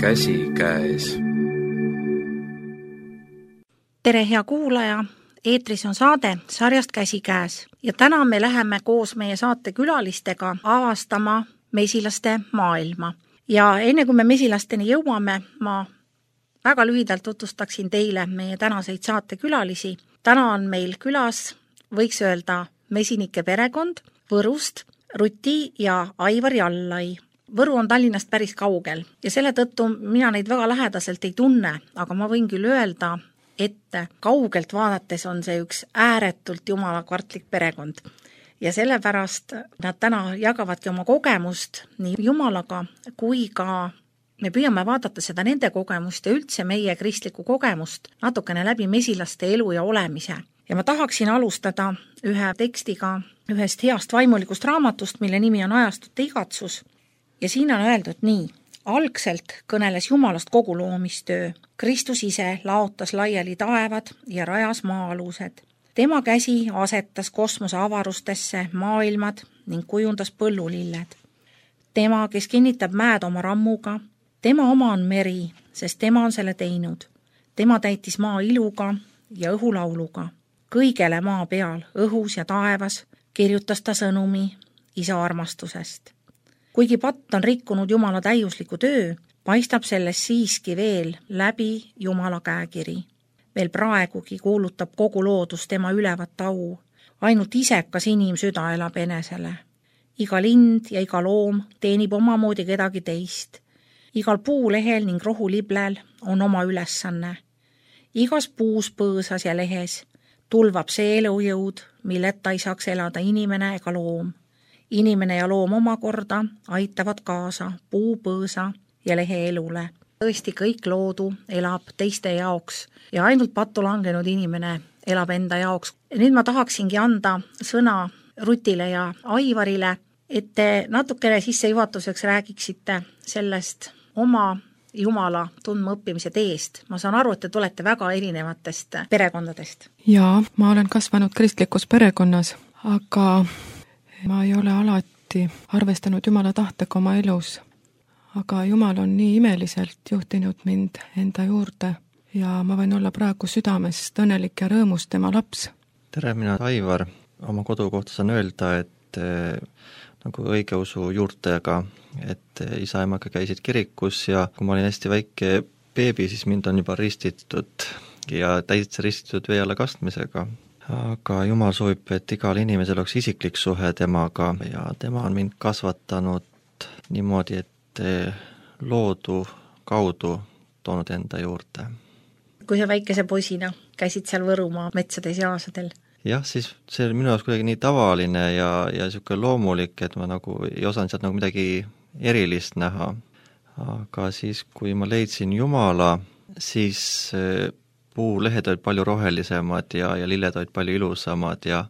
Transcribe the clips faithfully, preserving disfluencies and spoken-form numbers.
Käsikäes. Tere, hea kuulaja! Eetris on saade sarjast Käsikäes ja täna me läheme koos meie saate külalistega avastama mesilaste maailma. Ja enne kui me mesilasteni jõuame, ma väga lühidalt tutvustaksin teile meie tänaseid saatekülalisi. Täna on meil külas, võiks öelda, mesinike perekond Võrust, Ruti ja Aivar Jallai. Võru on Tallinnast päris kaugel ja selle tõttu mina neid väga lähedaselt ei tunne, aga ma võin küll öelda, et kaugelt vaadates on see üks ääretult jumalakvartlik perekond. Ja sellepärast nad täna jagavadki oma kogemust nii Jumalaga kui ka me püüame vaadata seda nende kogemust ja üldse meie kristlikku kogemust natukene läbi mesilaste elu ja olemise. Ja ma tahaksin alustada ühe tekstiga ühest heast vaimulikust raamatust, mille nimi on Ajastute igatsus. Ja siin on öeldud nii: algselt kõneles Jumalast kogu loomistöö. Kristus ise laotas laiali taevad ja rajas maa-alused. Tema käsi asetas kosmose avarustesse maailmad ning kujundas põllulilled. Tema, kes kinnitab mäed oma rammuga, tema oma on meri, sest tema on selle teinud. Tema täitis maa iluga ja õhulauluga. Kõigele maa peal, õhus ja taevas, kirjutas ta sõnumi isa armastusest. Kuigi patt on rikkunud Jumala täiusliku töö, paistab selles siiski veel läbi Jumala käekiri. Veel praegugi kuulutab kogu loodus tema ülevat au. Ainult isekas inimsüda elab enesele. Iga lind ja iga loom teenib omamoodi kedagi teist. Igal puulehel ning rohuliblel on oma ülesanne. Igas puus, põõsas ja lehes tulvab see elujõud, milleta ei saaks elada inimene ega loom. Inimene ja loom omakorda aitavad kaasa puu, põõsa ja lehe elule. Tõesti kõik loodu elab teiste jaoks ja ainult pattu langenud inimene elab enda jaoks. Nüüd ma tahaksingi anda sõna Rutile ja Aivarile, et te natukene sissejuhatuseks räägiksite sellest oma Jumala tundma õppimise teest. Ma saan aru, et te tulete väga erinevatest perekondadest. Jaa, ma olen kasvanud kristlikus perekonnas, aga ma ei ole alati arvestanud Jumala tahtega oma elus. Aga Jumal on nii imeliselt juhtinud mind enda juurde ja ma võin olla praegu südamest õnnelik ja rõõmus tema laps. Tere, mina Aivar. Oma kodu kohta saan öelda, et eh, nagu õigeusu juurtega, et isa ja emaga käisid kirikus ja kui ma olin hästi väike beebi, siis mind on juba ristitud ja täitsa ristitud vee alla kastmisega. Aga Jumal soovib, et igal inimesel oleks isiklik suhe temaga ja tema on mind kasvatanud niimoodi, et loodu kaudu toonud enda juurde. Kui sa väikese poisina käisid seal Võrumaa metsades ja aasadel? Jah, siis see oli minu jaoks kuidagi nii tavaline ja, ja niisugune loomulik, et ma nagu ei osanud sealt nagu midagi erilist näha. Aga siis, kui ma leidsin Jumala, siis puulehed olid palju rohelisemad ja, ja lilled olid palju ilusamad ja,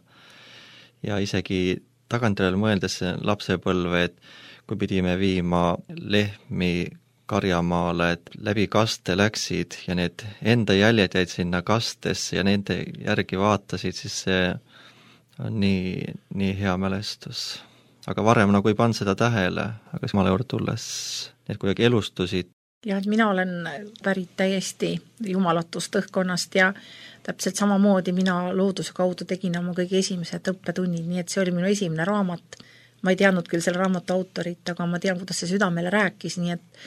ja isegi tagantjärele mõeldes lapsepõlve, et kui pidime viima lehmi karjamaale, et läbi kaste läksid ja need enda jäljed jäid sinna kastesse ja nende järgi vaatasid, siis see on nii, nii hea mälestus. Aga varem nagu ei pannud seda tähele, aga Jumala juurde tulles need kuidagi elustusid. Ja mina olen pärit täiesti jumalatust õhkonnast ja täpselt samamoodi mina looduse kaudu tegin oma kõige esimesed õppetunnid, nii et see oli minu esimene raamat. Ma ei teadnud küll selle raamatu autorit, aga ma tean, kuidas see südamele rääkis, nii et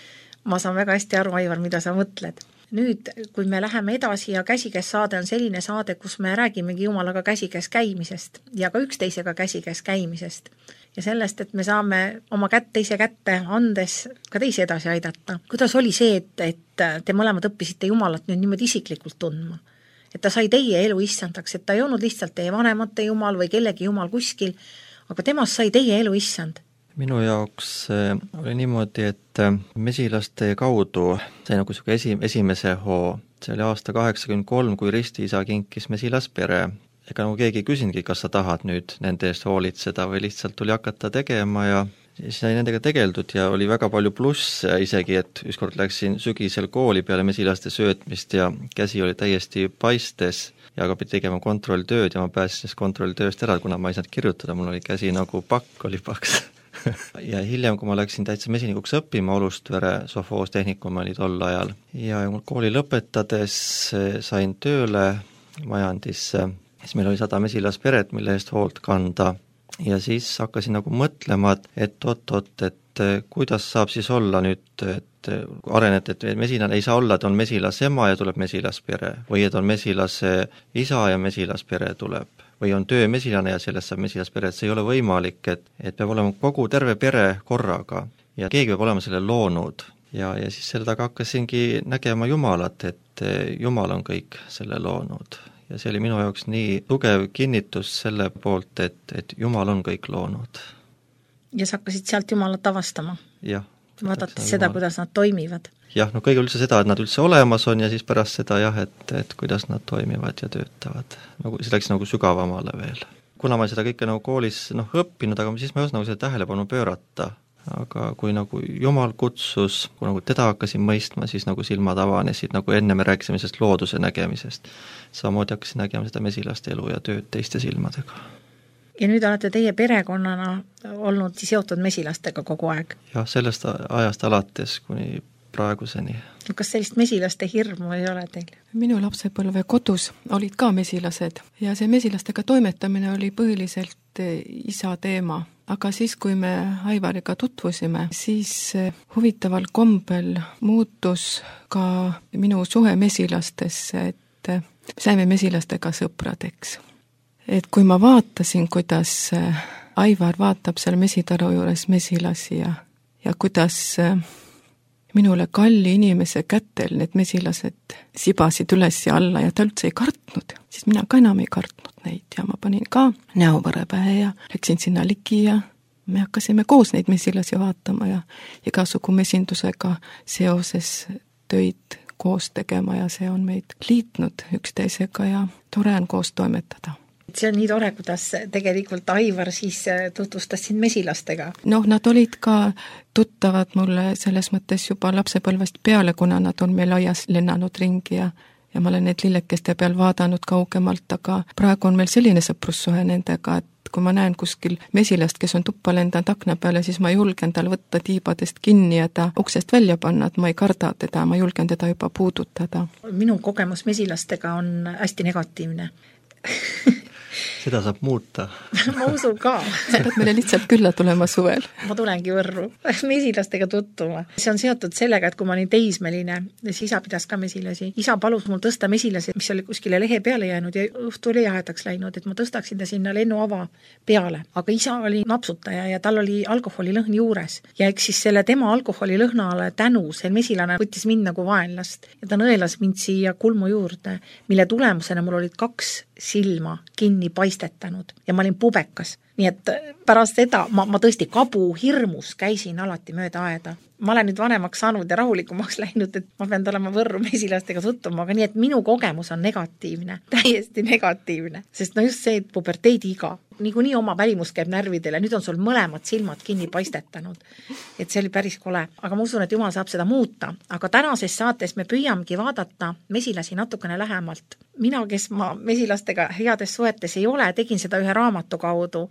ma saan väga hästi aru, Aivar, mida sa mõtled. Nüüd, kui me läheme edasi ja käsikäes saade on selline saade, kus me räägimegi Jumalaga käsikäes käimisest ja ka üksteisega käsikäes käimisest ja sellest, et me saame oma kätt teise kätte andes ka teisi edasi aidata. Kuidas oli see, et, et te mõlemad õppisite Jumalat nüüd niimoodi isiklikult tundma? Et ta sai teie elu issandaks, et ta ei olnud lihtsalt teie vanemate Jumal või kellegi Jumal kuskil, aga temast sai teie elu issand. Minu jaoks oli niimoodi, et mesilaste kaudu sai nagu esi, esimese hoo. See oli aasta kaheksakümmend kolm, kui ristiisa kinkis mesilaspere. Ega nagu keegi ei küsinudki, kas sa tahad nüüd nende eest hoolitseda või lihtsalt tuli hakata tegema ja siis sai nendega tegeldud ja oli väga palju plusse isegi, et ükskord läksin sügisel kooli peale mesilaste söötmist ja käsi oli täiesti paistes ja aga pidi tegema kontrolltööd ja ma pääsin kontrolltööst ära, kuna ma ei saanud kirjutada, mul oli käsi nagu pakk, oli paks. ja hiljem, kui ma läksin täitsa mesinikuks õppima Olustvere sovhoostehnikum oli tol ajal ja mul kooli lõpetades sain tööle majandisse, siis meil oli sada mesilasperet, mille eest hoolt kanda ja siis hakkasin nagu mõtlema, et oot-oot, et kuidas saab siis olla nüüd, et arenet, et mesilane ei saa olla, et on mesilase ema ja tuleb mesilaspere või et on mesilase isa ja mesilaspere tuleb või on töömesilane ja sellest saab mesilaspere, et see ei ole võimalik, et, et peab olema kogu terve pere korraga ja keegi peab olema selle loonud ja, ja siis selle taga hakkasingi nägema Jumalat, et Jumal on kõik selle loonud ja see oli minu jaoks nii tugev kinnitus selle poolt, et, et Jumal on kõik loonud. Ja sa hakkasid sealt Jumalat avastama? Jah. Vaadates seda, Jumal. Kuidas nad toimivad? Jah, no kõige üldse seda, et nad üldse olemas on ja siis pärast seda jah, et, et kuidas nad toimivad ja töötavad. Nagu, see läks nagu sügavamale veel. Kuna ma seda kõike nagu koolis noh, õppinud, aga siis ma ei osanud nagu seda tähelepanu pöörata. Aga kui nagu Jumal kutsus, kui nagu teda hakkasin mõistma, siis nagu silmad avanesid, nagu enne me rääkisime sellest looduse nägemisest. Samamoodi hakkasin nägema seda mesilaste elu ja tööd teiste silmadega. Ja nüüd olete teie perekonnana olnud seotud mesilastega kogu aeg? Jah, sellest ajast alates kuni praeguseni. Kas sellist mesilaste hirmu ei ole teil? Minu lapsepõlve kodus olid ka mesilased ja see mesilastega toimetamine oli põhiliselt isa teema. Aga siis, kui me Aivariga tutvusime, siis huvitaval kombel muutus ka minu suhe mesilastesse, et saime mesilastega sõpradeks. Et kui ma vaatasin, kuidas Aivar vaatab seal mesitaru juures mesilasi ja, ja kuidas minule kalli inimese kätel need mesilased sibasid üles ja alla ja ta üldse ei kartnud, siis mina ka enam ei kartnud neid ja ma panin ka näovõre pähe ja läksin sinna ligi ja me hakkasime koos neid mesilasi vaatama ja igasugu mesindusega seoses töid koos tegema ja see on meid liitnud üksteisega ja tore on koos toimetada. See on nii tore, kuidas tegelikult Aivar siis tutvustas sind mesilastega. Noh, nad olid ka tuttavad mulle selles mõttes juba lapsepõlvest peale, kuna nad on meil aias lennanud ringi ja, ja ma olen need lillekeste peal vaadanud kaugemalt, aga praegu on meil selline sõprussuhe nendega, et kui ma näen kuskil mesilast, kes on tuppa lendanud akna peale, siis ma julgen tal võtta tiibadest kinni ja ta uksest välja panna, et ma ei karda teda, ma julgen teda juba puudutada. Minu kogemus mesilastega on hästi negatiivne. Seda saab muuta. Ma usun ka. Sa pead meile lihtsalt külla tulema suvel. Ma tulengi Võrru mesilastega tuttuma. See on seotud sellega, et kui ma olin teismeline, siis isa pidas ka mesilasi. Isa palus mul tõsta mesilasi, mis oli kuskile lehe peale jäänud ja õhtu oli jahedaks läinud, et ma tõstaksin ta sinna lennuava peale. Aga isa oli napsutaja ja tal oli alkoholilõhn juures. Ja eks siis selle tema alkoholilõhnale tänu see mesilane võttis mind nagu vaenlast ja ta nõelas mind siia kulmu juurde, mille tulemusena mul olid kaks silma kinni paistetanud ja ma olin pubekas. Nii et pärast seda ma, ma tõesti kabu hirmus käisin alati mööda aeda. Ma olen nüüd vanemaks saanud ja rahulikumaks läinud, et ma pean olema Võrru mesilastega tuttuma, aga nii, et minu kogemus on negatiivne, täiesti negatiivne. Sest no just see, et puberteedi iga, niikuinii oma välimus käib närvidele, nüüd on sul mõlemad silmad kinni paistetanud. Et see oli päris kole. Aga ma usun, et Jumal saab seda muuta. Aga tänases saates me püüamegi vaadata mesilasi natukene lähemalt. Mina, kes ma mesilastega heades suhetes ei ole, tegin seda ühe raamatu kaudu,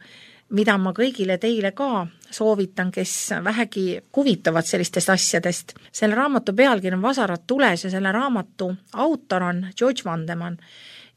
mida ma kõigile teile ka soovitan, kes vähegi huvitavad sellistest asjadest. Selle raamatu pealkiri on Vasarad tules ja selle raamatu autor on George Vandeman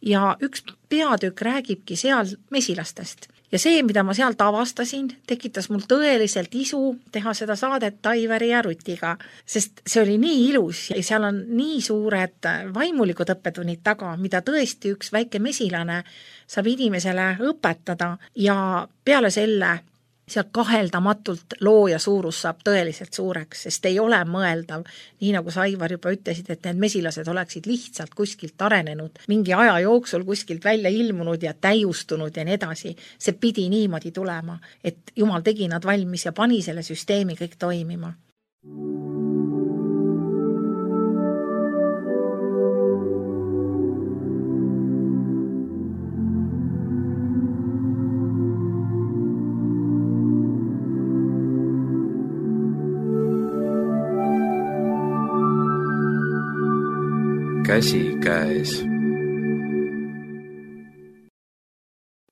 ja üks peatükk räägibki seal mesilastest. Ja see, mida ma sealt avastasin, tekitas mul tõeliselt isu teha seda saadet Aivari ja Rutiga, sest see oli nii ilus ja seal on nii suured vaimulikud õppetunnid taga, mida tõesti üks väike mesilane saab inimesele õpetada ja peale selle seal kaheldamatult looja suurus saab tõeliselt suureks, sest ei ole mõeldav, nii nagu sa Aivar juba ütlesid, et need mesilased oleksid lihtsalt kuskilt arenenud, mingi aja jooksul kuskilt välja ilmunud ja täiustunud ja nii edasi. See pidi niimoodi tulema, et Jumal tegi nad valmis ja pani selle süsteemi kõik toimima. Käsi käes.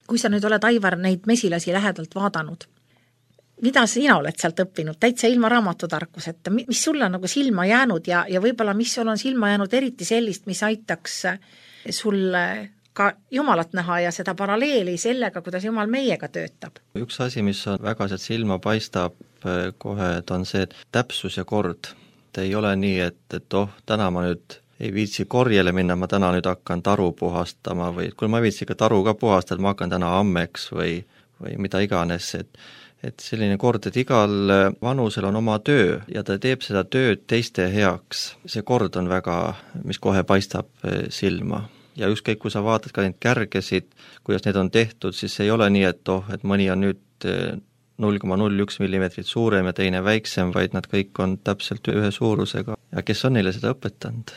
Kui sa nüüd oled, Aivar, neid mesilasi lähedalt vaadanud, mida sina oled sealt õppinud, täitsa ilma raamatutarkuseta, mis sulle on nagu silma jäänud ja, ja võib-olla mis sul on silma jäänud eriti sellist, mis aitaks sulle ka Jumalat näha ja seda paralleeli sellega, kuidas Jumal meiega töötab? Üks asi, mis on väga sealt silma paistab kohe, et on see, et täpsus ja kord. Et ei ole nii, et, et oh, täna ma nüüd ei viitsi korjele minna, ma täna nüüd hakkan taru puhastama või kui ma viitsi ka taru ka puhastada, ma hakkan täna ammeks või, või mida iganes, et et selline kord, et igal vanusel on oma töö ja ta teeb seda tööd teiste heaks. See kord on väga, mis kohe paistab silma. Ja ükskõik, kui sa vaatad ka neid kärgesid, kuidas need on tehtud, siis ei ole nii, et oh, et mõni on nüüd null koma null üks millimeetrit suurem ja teine väiksem, vaid nad kõik on täpselt ühe suurusega. Ja kes on neile seda õpetanud?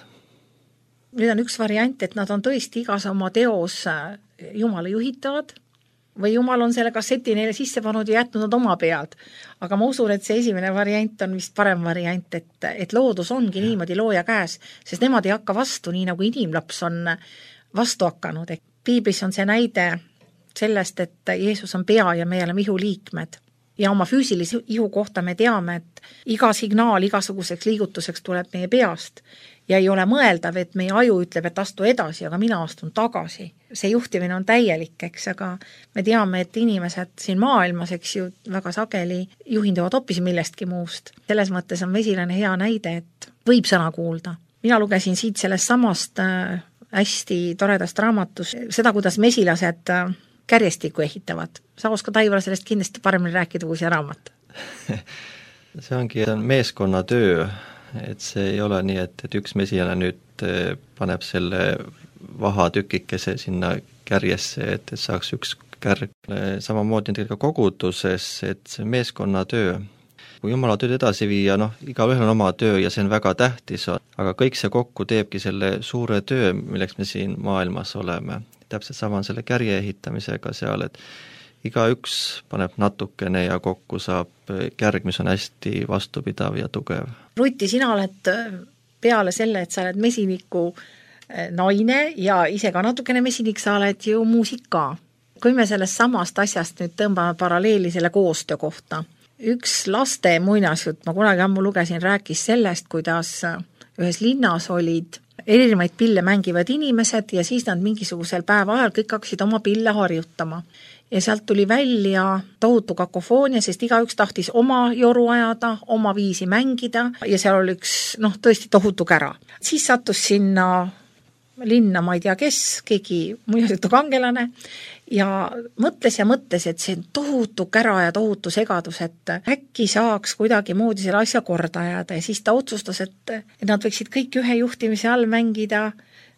Nüüd on üks variant, et nad on tõesti igas oma teos Jumala juhitavad, või Jumal on selle kasseti neile sisse pannud ja jätnud nad oma pead. Aga ma usun, et see esimene variant on vist parem variant, et, et loodus ongi ja. Niimoodi looja käes, sest nemad ei hakka vastu, nii nagu inimlaps on vastu hakanud. Piiblis on see näide sellest, et Jeesus on pea ja me oleme ihu liikmed. Ja oma füüsilise ihu kohta me teame, et iga signaal igasuguseks liigutuseks tuleb meie peast ja ei ole mõeldav, et meie aju ütleb, et astu edasi, aga mina astun tagasi. See juhtimine on täielik, eks, aga me teame, et inimesed siin maailmas, eks ju, väga sageli juhinduvad hoopis millestki muust. Selles mõttes on mesilane hea näide, et võib sõna kuulda. Mina lugesin siit sellest samast äh, hästi toredast raamatust seda, kuidas mesilased äh, kärjestikku ehitavad. Sa oskad, Aivar, sellest kindlasti paremini rääkida kui see raamat. See ongi see on meeskonna töö, et see ei ole nii, et, et üks mesilane nüüd paneb selle vahatükikese sinna kärjesse, et, et saaks üks kärg. Samamoodi ka koguduses, et see meeskonna töö. Kui Jumala tööd edasi viia, noh, igaühel on oma töö ja see on väga tähtis, aga kõik see kokku teebki selle suure töö, milleks me siin maailmas oleme. Täpselt sama on selle kärje ehitamisega seal, et iga üks paneb natukene ja kokku saab kärg, mis on hästi vastupidav ja tugev. Ruti, sina oled peale selle, et sa oled mesiniku naine ja ise ka natukene mesinik, sa oled ju muusik ka. Kui me sellest samast asjast nüüd tõmbame paralleeli selle koostöö kohta, üks laste muinasjutt, ma kunagi ammu lugesin, rääkis sellest, kuidas ühes linnas olid erinevaid pille mängivad inimesed ja siis nad mingisugusel päeva ajal kõik hakkasid oma pille harjutama. Ja sealt tuli välja tohutu kakofoonia, sest igaüks tahtis oma joru ajada, oma viisi mängida ja seal oli üks, noh, tõesti tohutu kära. Siis sattus sinna linna, ma ei tea kes, keegi muinasjutu kangelane ja mõtles ja mõtles, et see tohutu kära ja tohutu segadus, et äkki saaks kuidagi moodi selle asja korda ajada ja siis ta otsustas, et, et nad võiksid kõik ühe juhtimise all mängida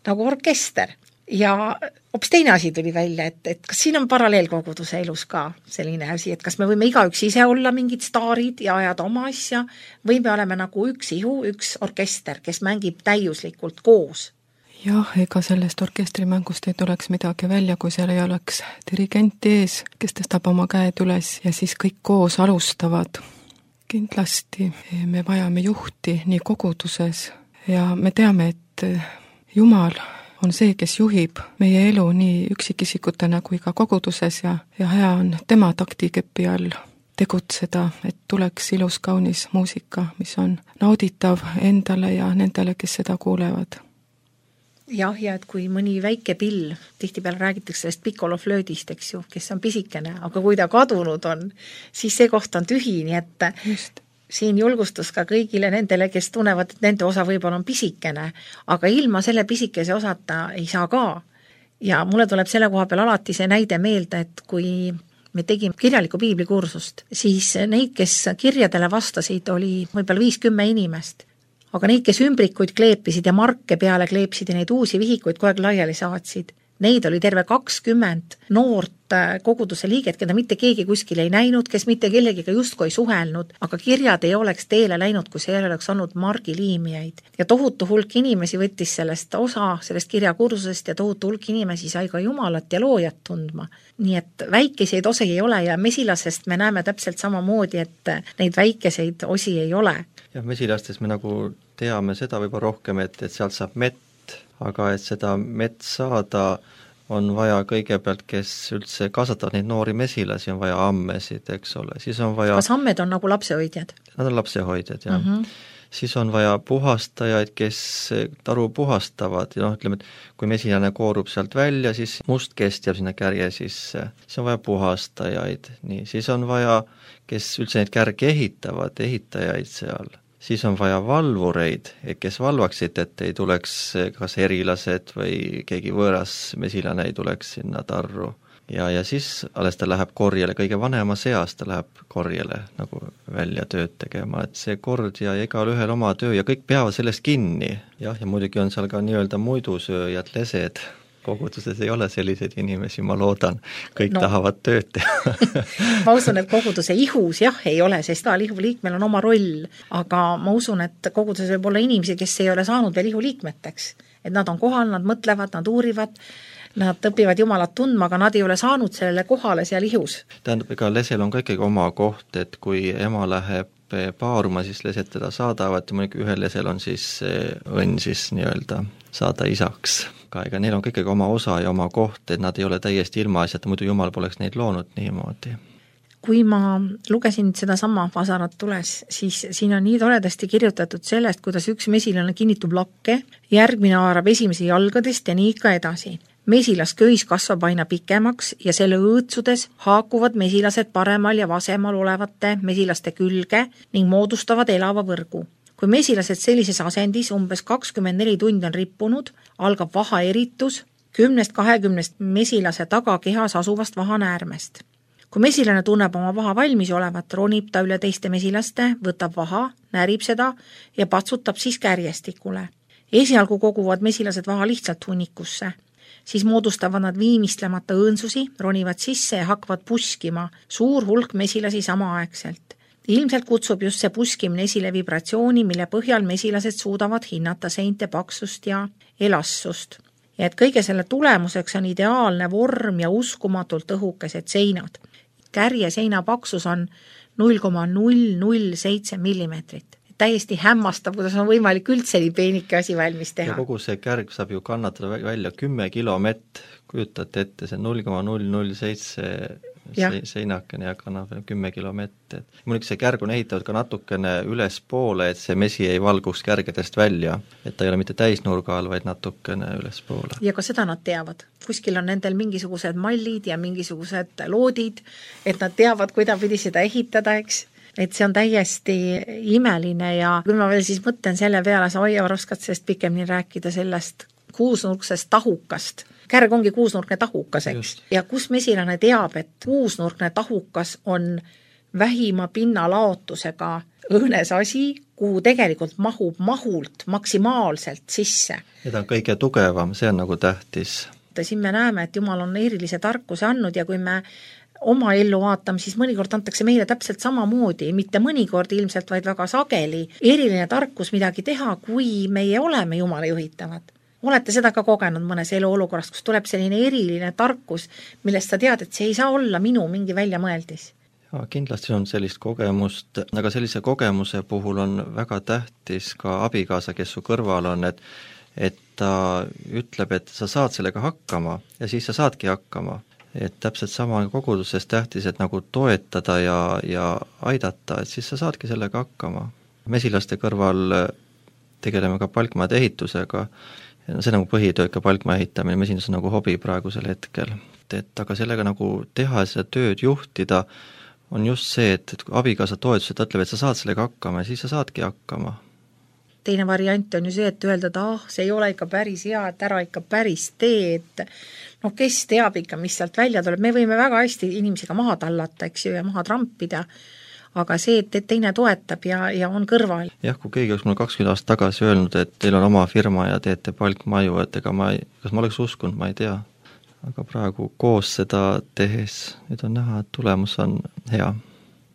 nagu orkester. Ja hoopis teine asi tuli välja, et, et kas siin on paralleelkoguduse elus ka selline asi, et kas me võime igaüks ise olla mingid staarid ja ajada oma asja või me oleme nagu üks ihu, üks orkester, kes mängib täiuslikult koos. Jah, ega sellest orkestrimängust ei tuleks midagi välja, kui seal ei oleks dirigent ees, kes tõstab oma käed üles ja siis kõik koos alustavad. Kindlasti me vajame juhti nii koguduses ja me teame, et Jumal on see, kes juhib meie elu nii üksikisikutena kui ka koguduses ja, ja hea on tema taktikepi all tegutseda, et tuleks ilus kaunis muusika, mis on nauditav endale ja nendele, kes seda kuulevad. Jah, ja et kui mõni väike pill, tihtipeale räägitakse sellest pikoloflöödist, eks ju, kes on pisikene, aga kui ta kadunud on, siis see koht on tühi, nii et just. Siin julgustus ka kõigile nendele, kes tunnevad, et nende osa võib-olla on pisikene, aga ilma selle pisikese osata ei saa ka. Ja mulle tuleb selle koha peal alati see näide meelde, et kui me tegime kirjaliku piiblikursust, siis neid, kes kirjadele vastasid, oli võib-olla viiskümmend inimest. Aga neid, kes ümbrikuid kleepisid ja marke peale kleepsid ja neid uusi vihikuid kogu aeg laiali saatsid, neid oli terve kakskümmend noort koguduse liiget, keda mitte keegi kuskil ei näinud, kes mitte kellegiga justkui ei suhelnud, aga kirjad ei oleks teele läinud, kui see ei oleks olnud margiliimijaid. Ja tohutu hulk inimesi võttis sellest osa, sellest kirjakursusest ja tohutu hulk inimesi sai ka Jumalat ja loojat tundma. Nii et väikeseid osi ei ole ja mesilasest me näeme täpselt samamoodi, et neid väikeseid osi ei ole. Ja mesilastest me nagu teame seda võib-olla rohkem, et, et sealt saab mett, aga et seda mett saada, on vaja kõigepealt, kes üldse kasvatavad neid noori mesilasi, on vaja ammesid, eks ole, siis on vaja kas ammed on nagu lapsehoidjad? Nad on lapsehoidjad, jah mm. -hmm. Siis on vaja puhastajaid, kes taru puhastavad ja noh, ütleme, et kui mesilane koorub sealt välja, siis must kest jääb sinna kärje sisse, siis on vaja puhastajaid, nii, siis on vaja, kes üldse neid kärge ehitavad, ehitajaid seal, siis on vaja valvureid, kes valvaksid, et ei tuleks kas erilased või keegi võõras mesilane ei tuleks sinna tarru. Ja, ja siis alles ta läheb korjele, kõige vanema seas ta läheb korjele nagu välja tööd tegema, et see kord ja igal ühel oma töö ja kõik peavad sellest kinni. Jah, ja muidugi on seal ka nii-öelda muidusööjad, lesed. Koguduses ei ole selliseid inimesi, ma loodan, kõik no. tahavad tööd teha. Ma usun, et koguduse ihus jah ei ole, sest igal ihuliikmel on oma roll, aga ma usun, et koguduses võib olla inimesi, kes ei ole saanud veel ihuliikmeteks, et nad on kohal, nad mõtlevad, nad uurivad, nad õpivad Jumalat tundma, aga nad ei ole saanud sellele kohale seal ihus. Tähendab, ega lesel on ka ikkagi oma koht, et kui ema läheb paaruma, siis lesed teda saadavad ja muidugi ühel lesel on siis õnn siis nii-öelda saada isaks. Ka ega neil on ka ikkagi oma osa ja oma koht, et nad ei ole täiesti ilmaasjata, muidu Jumal poleks neid loonud niimoodi. Kui ma lugesin seda sama Vasarat tules, siis siin on nii toredasti kirjutatud sellest, kuidas üks mesilane kinnitub lakke, järgmine haarab esimese jalgadest ja nii ikka edasi. Mesilasköis kasvab aina pikemaks ja selle õõtsudes haakuvad mesilased paremal ja vasemal olevate mesilaste külge ning moodustavad elava võrgu. Kui mesilased sellises asendis umbes kakskümmend neli tundi on rippunud, algab vaha eritus kümnest kahekümnest mesilase tagakehas asuvast vahanäärmest. Kui mesilane tunneb oma vaha valmis olevat, ronib ta üle teiste mesilaste, võtab vaha, närib seda ja patsutab siis kärjestikule. Esialgu koguvad mesilased vaha lihtsalt hunnikusse. Siis moodustavad nad viimistlemata õõnsusi, ronivad sisse ja hakkavad puskima suur hulk mesilasi samaaegselt. Ilmselt kutsub just see puskimine esile vibratsiooni, mille põhjal mesilased suudavad hinnata seinte paksust ja elastsust. Ja et kõige selle tulemuseks on ideaalne vorm ja uskumatult õhukesed seinad. Kärje seina paksus on null koma null null seitse millimeetrit. Täiesti hämmastav, kuidas on võimalik üldse nii peenike asi valmis teha. Ja kogu see kärg saab ju kannatada välja kümme kilomett, kujutate ette, see null koma null null seitse seinakene ja kannab kümme kilomett. Muidugi see kärg on ehitatud ka natukene üles poole, et see mesi ei valguks kärgedest välja, et ta ei ole mitte täisnurga all, vaid natukene üles poole. Ja ka seda nad teavad. Kuskil on nendel mingisugused mallid ja mingisugused loodid, et nad teavad, kuidapidi seda ehitada, eks. Et see on täiesti imeline ja kui ma veel siis mõtlen selle peale, sa Aivar oskad sellest pikemini rääkida sellest kuusnurksest tahukast. Kärg ongi kuusnurkne tahukas, eks. Ja kus mesilane teab, et kuusnurkne tahukas on vähima pinnalaotusega õõnes asi, kuhu tegelikult mahub mahult maksimaalselt sisse. Ja ta on kõige tugevam, see on nagu tähtis. Siin me näeme, et Jumal on erilise tarkuse andnud ja kui me oma ellu vaatame, siis mõnikord antakse meile täpselt samamoodi, mitte mõnikord ilmselt, vaid väga sageli eriline tarkus midagi teha, kui meie oleme Jumala juhitavad. Olete seda ka kogenud mõnes eluolukorras, kus tuleb selline eriline tarkus, millest sa tead, et see ei saa olla minu mingi väljamõeldis? Ja, kindlasti on sellist kogemust, aga sellise kogemuse puhul on väga tähtis ka abikaasa, kes su kõrval on, et, et ta ütleb, et sa saad sellega hakkama ja siis sa saadki hakkama. Et täpselt sama koguduses tähtis, et nagu toetada ja, ja aidata, et siis sa saadki sellega hakkama. Mesilaste kõrval tegeleme ka palkmaade ehitusega, see nagu põhitöö ka palkmaa ehitamine, mesindus on nagu hobi praegusel hetkel. Et aga sellega nagu teha seda tööd juhtida on just see, et, et abikaasa toetus, et ta ütleb, et sa saad sellega hakkama ja siis sa saadki hakkama. Teine variant on ju see, et öelda, et ah, see ei ole ikka päris hea, et ära ikka päris tee, et noh, kes teab ikka, mis sealt välja tuleb. Me võime väga hästi inimesega maha tallata, eks ju, ja maha trampida, aga see, et teine toetab ja, ja on kõrval. Jah, kui keegi oleks mulle kakskümmend aastat tagasi öelnud, et teil on oma firma ja teete palkmaju, et ega ma ei, kas ma oleks uskunud, ma ei tea. Aga praegu koos seda tehes, nüüd on näha, et tulemus on hea.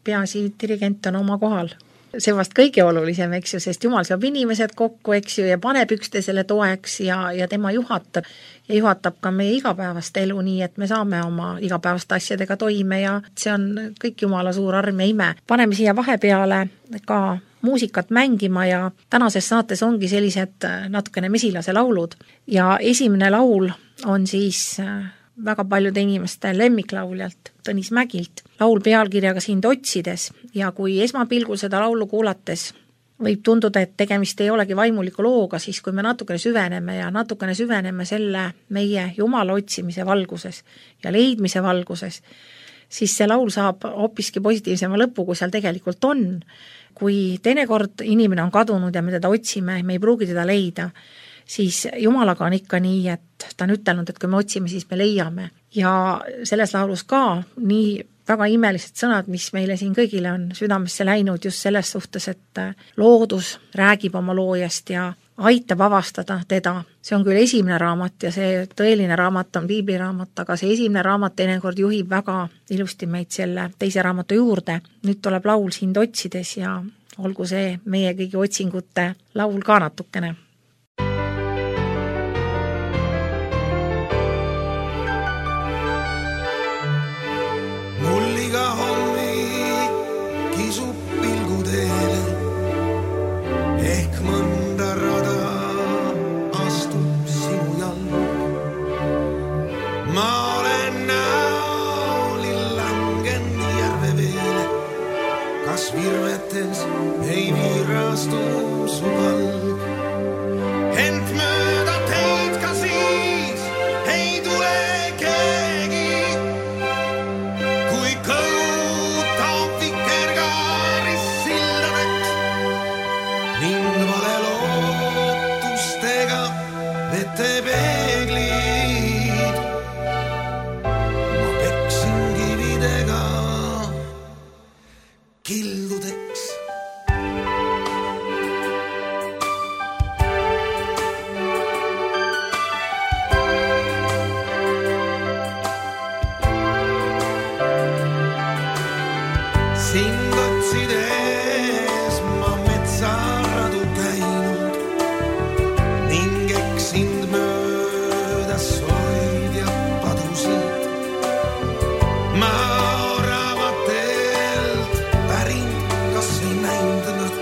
Peaasi dirigent on oma kohal. See vast kõige olulisem, eks ju, sest Jumal saab inimesed kokku, eks ju, ja paneb üksteisele toeks ja, ja tema juhatab ja juhatab ka meie igapäevast elu nii, et me saame oma igapäevaste asjadega toime ja see on kõik Jumala suur arm ja ime. Paneme siia vahepeale ka muusikat mängima ja tänases saates ongi sellised natukene mesilase laulud ja esimene laul on siis väga paljude inimeste lemmiklauljalt Tõnis Mägilt laul pealkirjaga Sind otsides ja kui esmapilgul seda laulu kuulates võib tunduda, et tegemist ei olegi vaimuliku looga, siis kui me natukene süveneme ja natukene süveneme selle meie Jumala otsimise valguses ja leidmise valguses, siis see laul saab hoopiski positiivsema lõpu, kui seal tegelikult on. Kui teinekord inimene on kadunud ja me teda otsime, me ei pruugi teda leida, siis Jumalaga on ikka nii, et ta on ütelnud, et kui me otsime, siis me leiame. Ja selles laulus ka nii väga imelised sõnad, mis meile siin kõigile on südamesse läinud just selles suhtes, et loodus räägib oma loojast ja aitab avastada teda. See on küll esimene raamat ja see tõeline raamat on piibliraamat, aga see esimene raamat teinekord juhib väga ilusti meid selle teise raamatu juurde. Nüüd tuleb laul Sind otsides ja olgu see meie kõigi otsingute laul ka natukene. Mulliga hommik kisub pilgu teele, ehk mõnda rada astub sinu jalg. Ma olen näolil langen järve veele, kas virvetes ei viirastu su palg. Ent mööda teid ka siis ei tule keegi, kui kõutab vikergaaris silladeks ning vale lootustega vete peeglid. Ma peksin kividega kildudeks. Sind otsides ma metsaradu käinud ning eksind mööda soid ja padusid. Ma oravatelt pärin, kas ei näinud nad,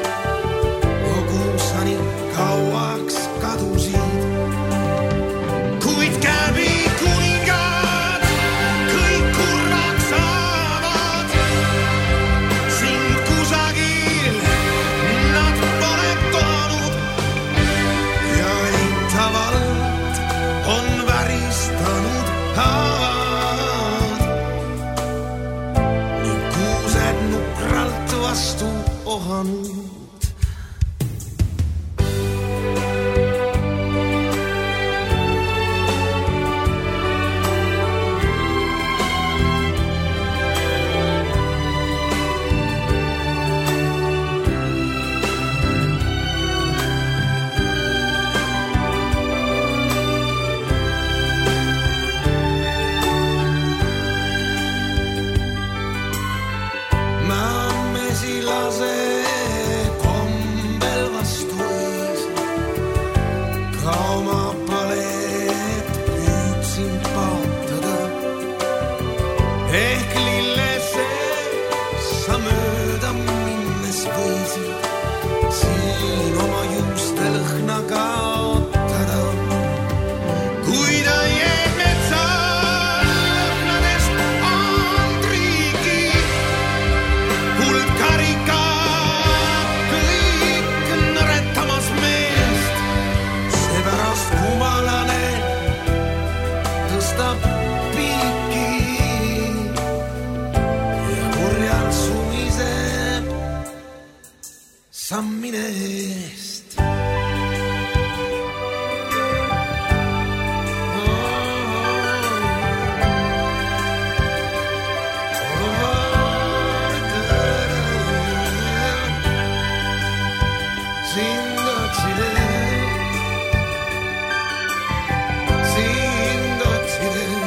kogu sani kauaks kadusid. Kuid käbi kuningad kõik kurvaks saavad, sind kusagil nad pole toonud ja eitavalt on väristanud haavad ning kuused nukralt vastu ohanud. Ma mesilase kombel vastuis, ka oma palet püüdsin paotada. Ehk lillesse sa mööda minnes võisid siin oma juuste lõhna kaotada. Kui ta jääb metsa lõhnadest andrigi, hulkarika kõik nõretamas meest, seepärast kumalane tõstab piiki ja kurjalt sumiseb sammine eest. Sind otsides, sind otsides.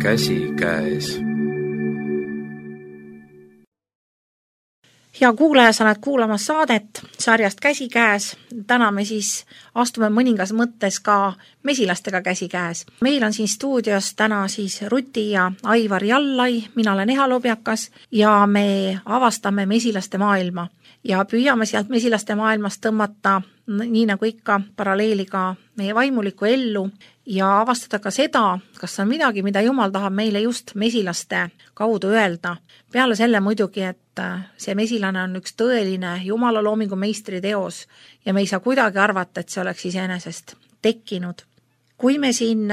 käsikäes. Hea kuulaja, sa oled kuulamas saadet sarjast Käsikäes. Täna me siis astume mõningas mõttes ka mesilastega käsikäes. Meil on siin stuudios täna siis Ruti ja Aivar Jallai, mina olen Eha Lobjakas ja me avastame mesilaste maailma ja püüame sealt mesilaste maailmast tõmmata nii nagu ikka paralleeli ka meie vaimulikku ellu ja avastada ka seda, kas on midagi, mida Jumal tahab meile just mesilaste kaudu öelda. Peale selle muidugi, et see mesilane on üks tõeline Jumala loomingu meistri teos ja me ei saa kuidagi arvata, et see oleks iseenesest tekkinud. Kui me siin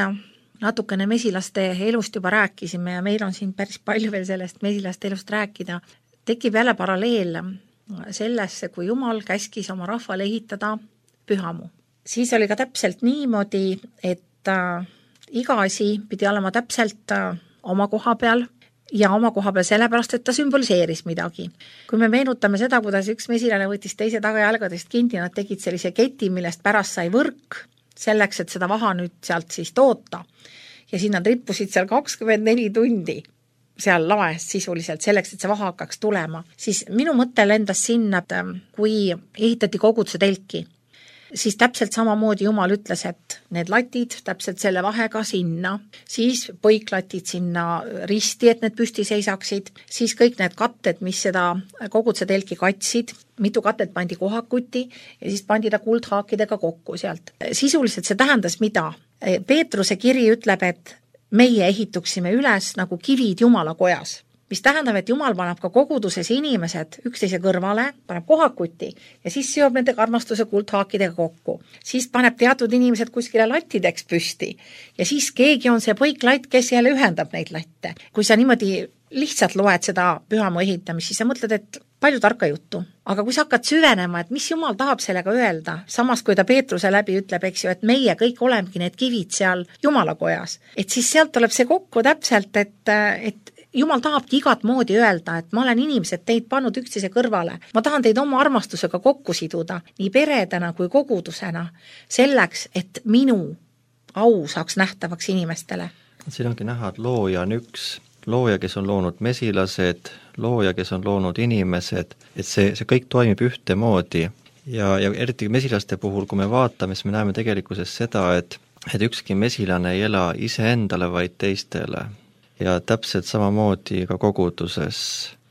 natukene mesilaste elust juba rääkisime ja meil on siin päris palju veel sellest mesilaste elust rääkida, tekib jälle paralleel sellesse, kui Jumal käskis oma rahvale ehitada pühamu. Siis oli ka täpselt niimoodi, et äh, iga asi pidi olema täpselt äh, oma koha peal ja oma koha peal sellepärast, et ta sümboliseeris midagi. Kui me meenutame seda, kuidas üks mesilane võttis teise tagajalgadest kinni, nad tegid sellise keti, millest pärast sai võrk, selleks, et seda vaha nüüd sealt siis toota. Ja siin nad rippusid seal kakskümmend neli tundi seal laes sisuliselt selleks, et see vaha hakkaks tulema. Siis minu mõte lendas sinna, et kui ehitati koguduse telki, siis täpselt samamoodi Jumal ütles, et need latid täpselt selle vahega sinna, siis põiklatid sinna risti, et need püsti seisaksid, siis kõik need katted, mis seda koguduse telki katsid, mitu katet pandi kohakuti ja siis pandi ta kuldhaakidega kokku sealt. Sisuliselt see tähendas mida? Peetruse kiri ütleb, et meie ehituksime üles nagu kivid Jumala kojas, mis tähendab, et Jumal paneb ka koguduses inimesed üksteise kõrvale, paneb kohakuti ja siis seob nende armastuse kuldhaakidega kokku. Siis paneb teatud inimesed kuskile lattideks püsti ja siis keegi on see põiklatt, kes jälle ühendab neid latte. Kui sa niimoodi lihtsalt loed seda pühamu ehitamist, siis sa mõtled, et palju tarka juttu. Aga kui sa hakkad süvenema, et mis Jumal tahab sellega öelda, samas kui ta Peetruse läbi ütleb, eks ju, et meie kõik olemegi need kivid seal Jumala kojas, et siis sealt tuleb see kokku täpselt, et, et Jumal tahabki igat moodi öelda, et ma olen inimesed teid pannud üksteise kõrvale. Ma tahan teid oma armastusega kokku siduda, nii peredena kui kogudusena, selleks, et minu au saaks nähtavaks inimestele. Siin ongi näha, et looja on üks, looja, kes on loonud mesilased, looja, kes on loonud inimesed, et see, see kõik toimib ühte moodi. Ja, ja eriti mesilaste puhul, kui me vaatame, siis me näeme tegelikkuses seda, et, et ükski mesilane ei ela iseendale, vaid teistele. Ja täpselt samamoodi ka koguduses.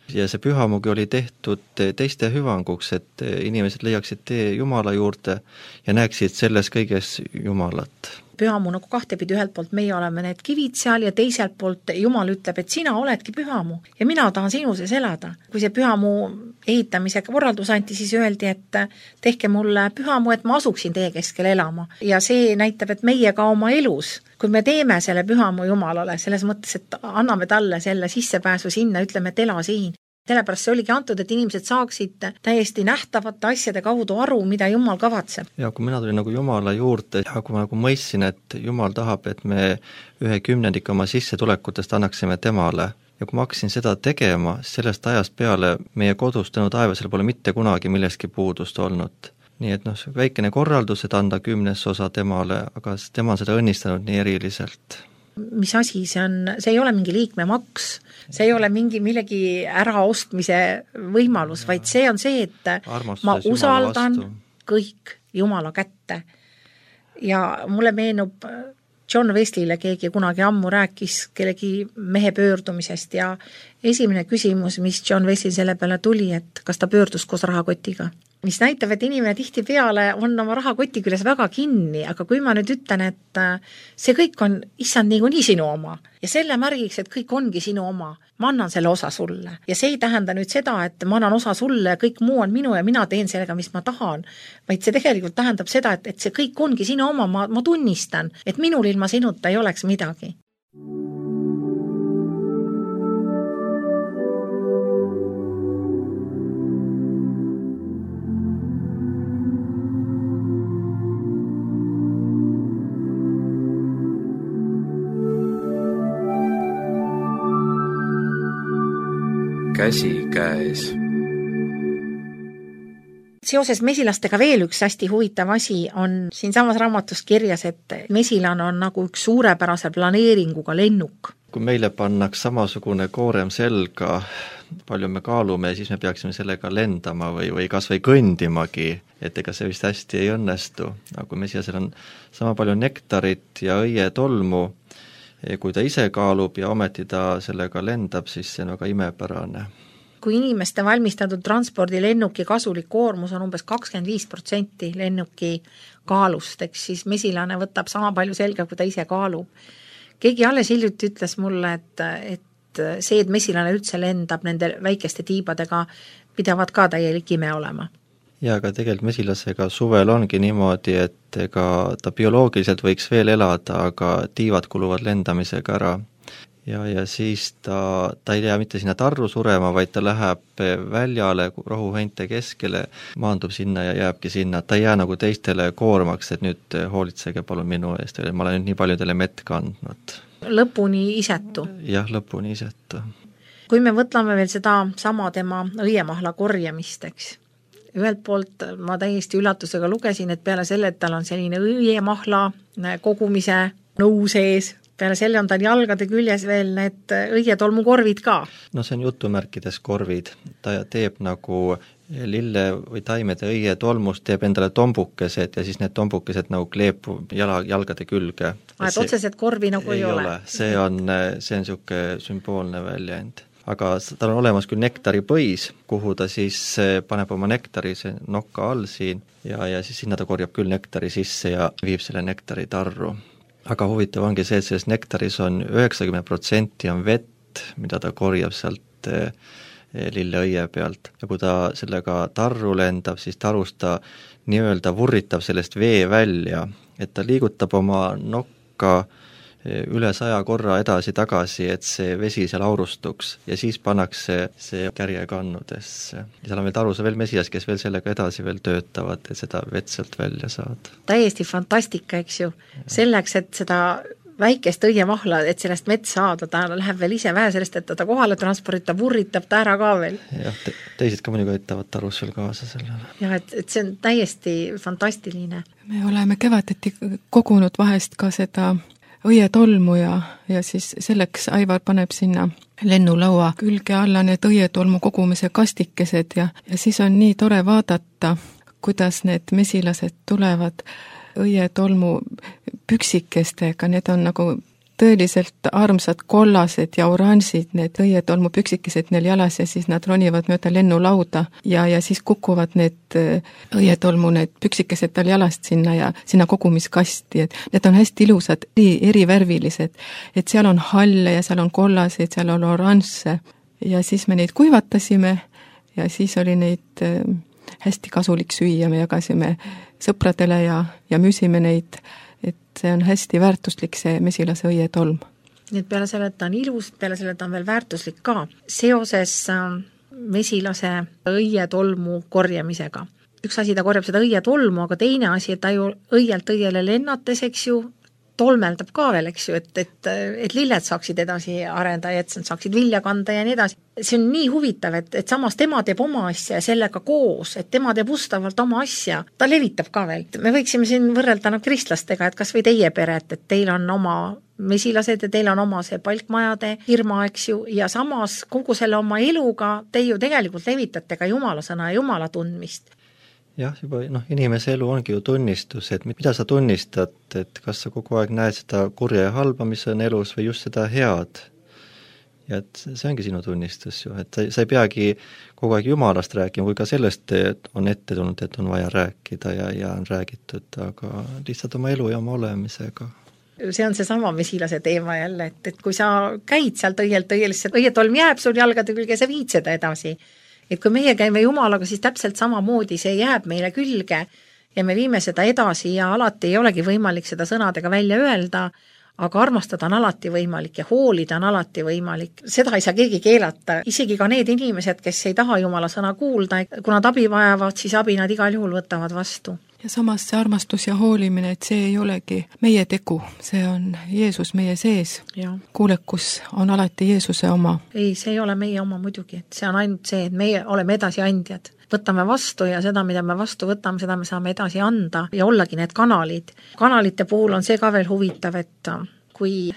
Ja see pühamugi oli tehtud teiste hüvanguks, et inimesed leiaksid tee Jumala juurde ja näeksid selles kõiges Jumalat. Pühamu nagu kahtepidi ühelt poolt meie oleme need kivid seal ja teiselt poolt Jumal ütleb, et sina oledki pühamu ja mina tahan sinu sees elada. Kui see pühamu ehitamise korraldus anti, siis öeldi, et tehke mulle pühamu, et ma asuksin teie keskel elama. Ja see näitab, et meie ka oma elus, kui me teeme selle pühamu Jumalale, selles mõttes, et anname talle selle sissepääsu sinna, ütleme, et ela siin. Sellepärast see oligi antud, et inimesed saaksid täiesti nähtavate asjade kaudu aru, mida Jumal kavatseb. Ja kui mina tulin nagu Jumala juurde ja kui ma nagu mõistsin, et Jumal tahab, et me ühe kümnendik oma sissetulekutest annaksime temale ja kui ma hakkasin seda tegema, sellest ajast peale meie kodus tänu taevasele pole mitte kunagi millestki puudust olnud. Nii et noh, väikene korraldus, et anda kümnes osa temale, aga tema on seda õnnistanud nii eriliselt. Mis asi see on, see ei ole mingi liikmemaks, see ei ole mingi millegi äraostmise võimalus, vaid see on see, et armastus ma usaldan kõik Jumala kätte. Ja mulle meenub John Wesley'le keegi kunagi ammu rääkis kellegi mehe pöördumisest ja esimene küsimus, mis John Wesley selle peale tuli, et kas ta pöördus koos rahakotiga. Mis näitab, et inimene tihti peale on oma rahakoti küljes väga kinni, aga kui ma nüüd ütlen, et see kõik on issand nii, nii sinu oma ja selle märgiks, et kõik ongi sinu oma, ma annan selle osa sulle. Ja see ei tähenda nüüd seda, et ma annan osa sulle ja kõik muu on minu ja mina teen sellega, mis ma tahan, vaid see tegelikult tähendab seda, et, et see kõik ongi sinu oma, ma, ma tunnistan, et minul ilma sinuta ei oleks midagi. Käsikäes. Seoses mesilastega veel üks hästi huvitav asi on siin samas raamatus kirjas, et mesilan on nagu üks suurepärase planeeringuga lennuk. kui meile pannaks samasugune koorem selga, palju me kaalume ja siis me peaksime sellega lendama või, või kas või kõndimagi, et ega see vist hästi ei õnnestu. Aga kui mesilasel on sama palju nektarit ja õietolmu, kui ta ise kaalub ja ometi ta sellega lendab, siis see on väga imepärane. Kui inimeste valmistatud transpordi lennuki kasulik koormus on umbes kakskümmend viis protsenti lennuki kaalust, eks siis mesilane võtab sama palju selga, kui ta ise kaalub. Keegi alles hiljuti ütles mulle, et, et see, et mesilane üldse lendab nende väikeste tiibadega, pidavad ka täielik ime olema. Ja aga tegelikult mesilasega suvel ongi niimoodi, et ega ta bioloogiliselt võiks veel elada, aga tiivad kuluvad lendamisega ära. Ja, ja siis ta, ta ei jää mitte sinna tarru surema, vaid ta läheb väljale rohuheinte keskele, maandub sinna ja jääbki sinna. Ta ei jää nagu teistele koormaks, et nüüd hoolitsege palun minu eest, ma olen nüüd nii paljudele mett kandnud. Lõpuni isetu. Jah, lõpuni isetu. Kui me võtlame veel seda sama tema õiemahla korjamist, eks, ühelt poolt ma täiesti üllatusega lugesin, et peale selle, et tal on selline õiemahla kogumise nõu sees, peale selle on tal jalgade küljes veel need õietolmukorvid ka. No see on jutumärkides korvid. Ta teeb nagu lille või taimede õietolmust, teeb endale tombukesed ja siis need tombukesed nagu kleepub jala, jalgade külge. Ah, et otseselt korvi nagu ei, ei ole? See on, see on siuke sümboolne väljend. Aga tal on olemas küll nektari põis, kuhu ta siis paneb oma nektari see nokka all siin ja, ja siis sinna ta korjab küll nektari sisse ja viib selle nektari tarru. Aga huvitav ongi see, et selles nektaris on üheksakümmend protsenti on vett, mida ta korjab sealt lilleõie pealt. Ja kui ta sellega tarru lendab, siis tarust ta nii-öelda vurritab sellest vee välja, et ta liigutab oma nokka üle saja korra edasi-tagasi, et see vesi seal aurustuks ja siis pannakse see kärje kannudesse. Ja seal on veel tarusa veel mesilas, kes veel sellega edasi veel töötavad, et seda vett sealt välja saada. Täiesti fantastika, eks ju. Selleks, et seda väikest õiemahla, et sellest mett saada, ta läheb veel ise vähe sellest, et ta kohale transportita, vurritab ta ära ka veel. Jah, te, teised ka muidugi aitavad tarus veel kaasa sellele. Jah, et, et see on täiesti fantastiline. Me oleme kevadeti kogunud vahest ka seda õietolmu ja, ja siis selleks Aivar paneb sinna lennulaua külge alla need õietolmu kogumise kastikesed ja, ja siis on nii tore vaadata, kuidas need mesilased tulevad õietolmu püksikestega, need on nagu tõeliselt armsad kollased ja oranžid, need õietolmu püksikesed neil jalas ja siis nad ronivad mööda lennulauda ja, ja siis kukuvad need õietolmu need püksikesed tal jalast sinna ja sinna kogumiskasti, et need on hästi ilusad, erivärvilised, et seal on halle ja seal on kollaseid, seal on oranžse ja siis me neid kuivatasime ja siis oli neid hästi kasulik süüa, me jagasime sõpradele ja, ja müüsime neid, et see on hästi väärtuslik, see mesilase õietolm. Nii et peale selle, et ta on ilus, peale selle, et ta on veel väärtuslik ka. Seoses mesilase õietolmu korjamisega. Üks asi, ta korjab seda õietolmu, aga teine asi, et ta ju õielt õiele lennates, eks ju, tolmeldab ka veel, eks ju, et, et, et lilled saaksid edasi arenda ja et saaksid vilja kanda ja nii edasi. See on nii huvitav, et, et samas tema teeb oma asja ja sellega koos, et tema teeb ustavalt oma asja, ta levitab ka veel. Me võiksime siin võrrelda no, kristlastega, et kas või teie pere, et, et teil on oma mesilased ja teil on oma see palkmajade firma, eks ju, ja samas kogu selle oma eluga te ju tegelikult levitate ka Jumala sõna ja Jumala tundmist. Jah, juba noh, inimese elu ongi ju tunnistus, et mida sa tunnistad, et kas sa kogu aeg näed seda kurja ja halba, mis on elus või just seda head. Ja et see ongi sinu tunnistus ju, et sa, sa ei peagi kogu aeg Jumalast rääkima, kui ka sellest on ette tulnud, et on vaja rääkida ja, ja on räägitud, aga lihtsalt oma elu ja oma olemisega. See on see sama mesilase teema jälle, et, et kui sa käid sealt õielt õielisse, õietolm jääb sul jalgade külge, sa viid seda edasi. Et kui meie käime Jumalaga, siis täpselt samamoodi see jääb meile külge ja me viime seda edasi ja alati ei olegi võimalik seda sõnadega välja öelda, aga armastada on alati võimalik ja hoolida on alati võimalik. Seda ei saa keegi keelata, isegi ka need inimesed, kes ei taha Jumala sõna kuulda, kui nad abi vajavad, siis abi nad igal juhul võtavad vastu. Ja samas see armastus ja hoolimine, et see ei olegi meie tegu, see on Jeesus meie sees. Ja. Kuulekus on alati Jeesuse oma. Ei, see ei ole meie oma muidugi, et see on ainult see, et meie oleme edasiandjad. Võtame vastu ja seda, mida me vastu võtame, seda me saame edasi anda ja ollagi need kanalid. Kanalite puhul on see ka veel huvitav, et kui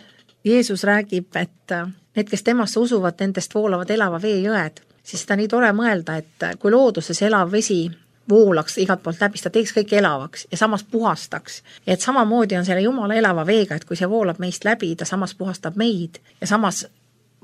Jeesus räägib, et need, kes temasse usuvad, nendest voolavad elava veejõed, siis seda nii tore mõelda, et kui looduses elav vesi voolaks igalt poolt läbi, ta teeks kõik elavaks ja samas puhastaks. Ja et samamoodi on selle Jumala elava veega, et kui see voolab meist läbi, ta samas puhastab meid ja samas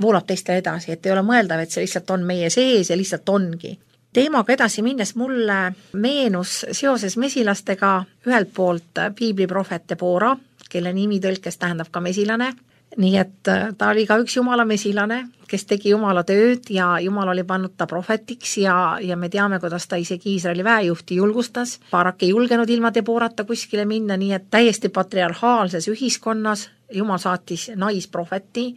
voolab teistele edasi, et ei ole mõeldav, et see lihtsalt on meie sees ja lihtsalt ongi. Teemaga edasi minnes mulle meenus seoses mesilastega ühelt poolt piibliprohvet Debora, kelle nimi tõlkes tähendab ka mesilane, nii et ta oli ka üks Jumala mesilane, kes tegi Jumala tööd ja Jumal oli pannud ta prohvetiks ja, ja me teame, kuidas ta isegi Iisraeli väejuhti julgustas. Barak ei julgenud ilma Deborata kuskile minna, nii et täiesti patriarhaalses ühiskonnas Jumal saatis naisprohveti,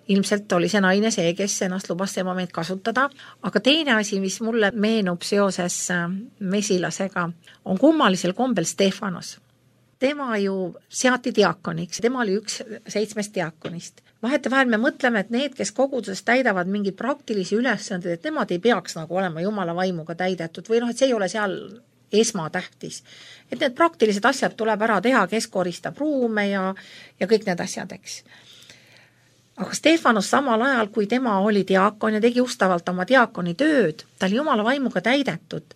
ilmselt oli see naine see, kes ennast lubas tema meid kasutada, aga teine asi, mis mulle meenub seoses mesilasega, on kummalisel kombel Stefanos. Tema ju seati diakoniks, tema oli üks seitsmest diakonist. Vahete vahel me mõtleme, et need, kes koguduses täidavad mingeid praktilisi ülesanded, et nemad ei peaks nagu olema Jumala vaimuga täidetud või noh, et see ei ole seal esmatähtis. Et need praktilised asjad tuleb ära teha, kes koristab ruume ja, ja kõik need asjad, eks. Aga Stefanos samal ajal, kui tema oli diakon ja tegi ustavalt oma diakoni tööd, ta oli Jumala vaimuga täidetud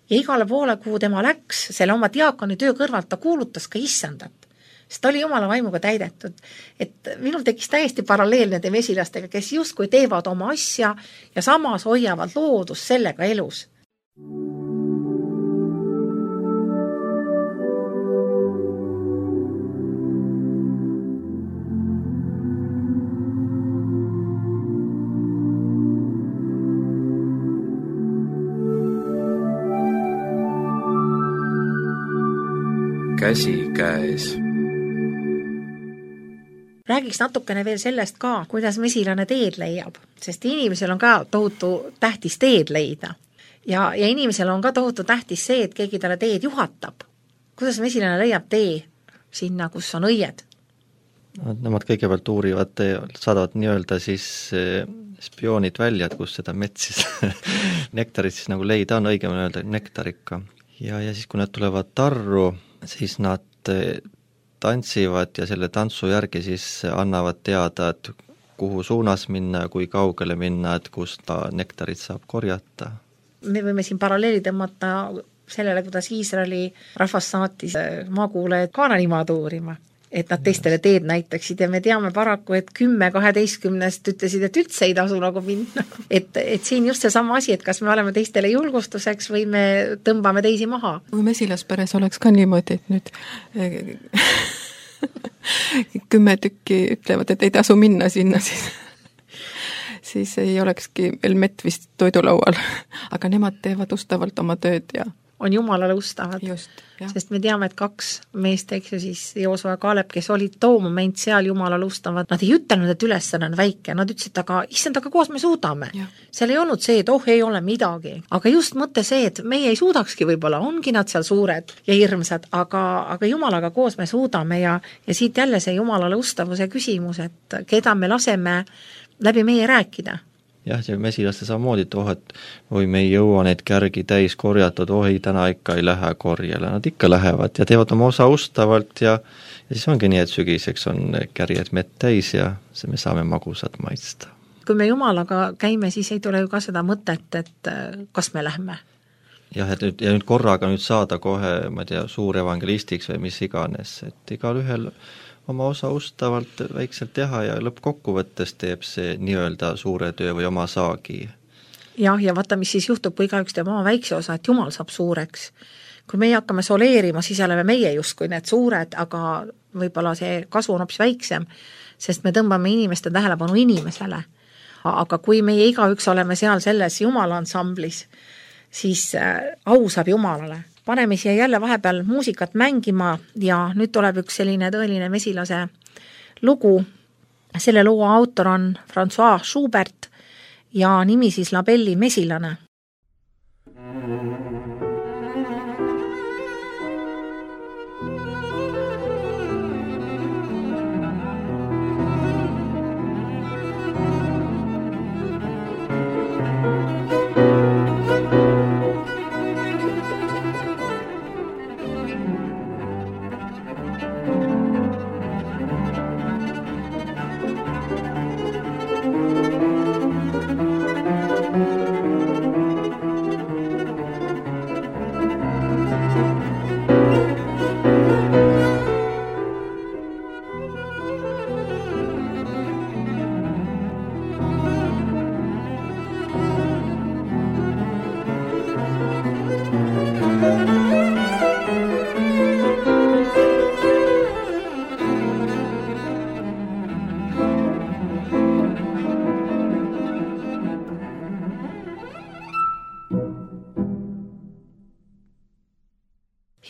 ja igale poole, kuhu tema läks, selle oma diakoni töö kõrvalt ta kuulutas ka issandat, sest ta oli Jumala vaimuga täidetud. Et minul tekkis täiesti paralleel nende mesilastega, kes justkui teevad oma asja ja samas hoiavad loodus sellega elus. Käsi käes. Räägiks natukene veel sellest ka, kuidas mesilane teed leiab, sest inimesel on ka tohutu tähtis teed leida. Ja, ja inimesel on ka tohutu tähtis see, et keegi talle teed juhatab. Kuidas mesilane leiab tee sinna, kus on õied? Nemad kõigepealt uurivad, saadavad nii-öelda siis spioonid välja, et kus seda mets siis nektarit siis nagu leida on, õigem öelda nektarikka. Ja, ja siis, kui nad tulevad tarru, siis nad tantsivad ja selle tantsu järgi siis annavad teada, et kuhu suunas minna ja kui kaugele minna, et kust ta nektarit saab korjata. Me võime siin paralleeli tõmmata sellele, kuidas Iisraeli rahvas saatis maakuulajad Kaananimaad uurima, et nad teistele teed näitaksid ja me teame paraku, et kümme kaheteistkümnest ütlesid, et üldse ei tasu nagu minna. Et, et siin just see sama asi, et kas me oleme teistele julgustuseks või me tõmbame teisi maha. Kui mesilasperes oleks ka niimoodi, et nüüd kümme tükki ütlevad, et ei tasu minna sinna, siis, siis ei olekski veel mett vist toidulaual. Aga nemad teevad ustavalt oma tööd ja on Jumalale ustavad. Just, sest me teame, et kaks meest, eks ju siis Joosua ja Kaalep, kes olid too moment seal Jumalale ustavad, nad ei ütelnud, et ülesanne on väike, nad ütlesid, aga issand, aga koos me suudame. Ja. Seal ei olnud see, et oh, ei ole midagi. Aga just mõte see, et meie ei suudakski võib-olla, ongi nad seal suured ja hirmsad, aga, aga Jumalaga koos me suudame ja, ja siit jälle see Jumalale ustavuse küsimus, et keda me laseme läbi meie rääkida. Jah, see mesilaste samamoodi, et oh, et oi, me ei jõua neid kärgi täis korjatud, oh ei, täna ikka ei lähe korjele, nad ikka lähevad ja teevad oma osa ustavalt ja, ja siis ongi nii, et sügiseks on kärjed mett täis ja me saame magusat maitsta. Kui me Jumalaga käime, siis ei tule ju ka seda mõtet, et kas me lähme. Jah, et nüüd, ja nüüd korraga nüüd saada kohe, ma tea, suur evangelistiks või mis iganes, et igal ühel oma osa ustavalt väikselt teha ja lõppkokkuvõttes teeb see nii-öelda suure töö või oma saagi. Jah, ja vaata, mis siis juhtub, kui igaüks teeb oma väikse osa, et Jumal saab suureks. Kui meie hakkame soleerima, siis oleme meie justkui need suured, aga võib-olla see kasu on hoopis väiksem, sest me tõmbame inimeste tähelepanu inimesele. Aga kui meie igaüks oleme seal selles Jumala ansamblis, siis au saab Jumalale. Paneme siia jälle vahepeal muusikat mängima ja nüüd tuleb üks selline tõeline mesilase lugu. Selle loo autor on François Schubert ja nimi siis Labelli mesilane.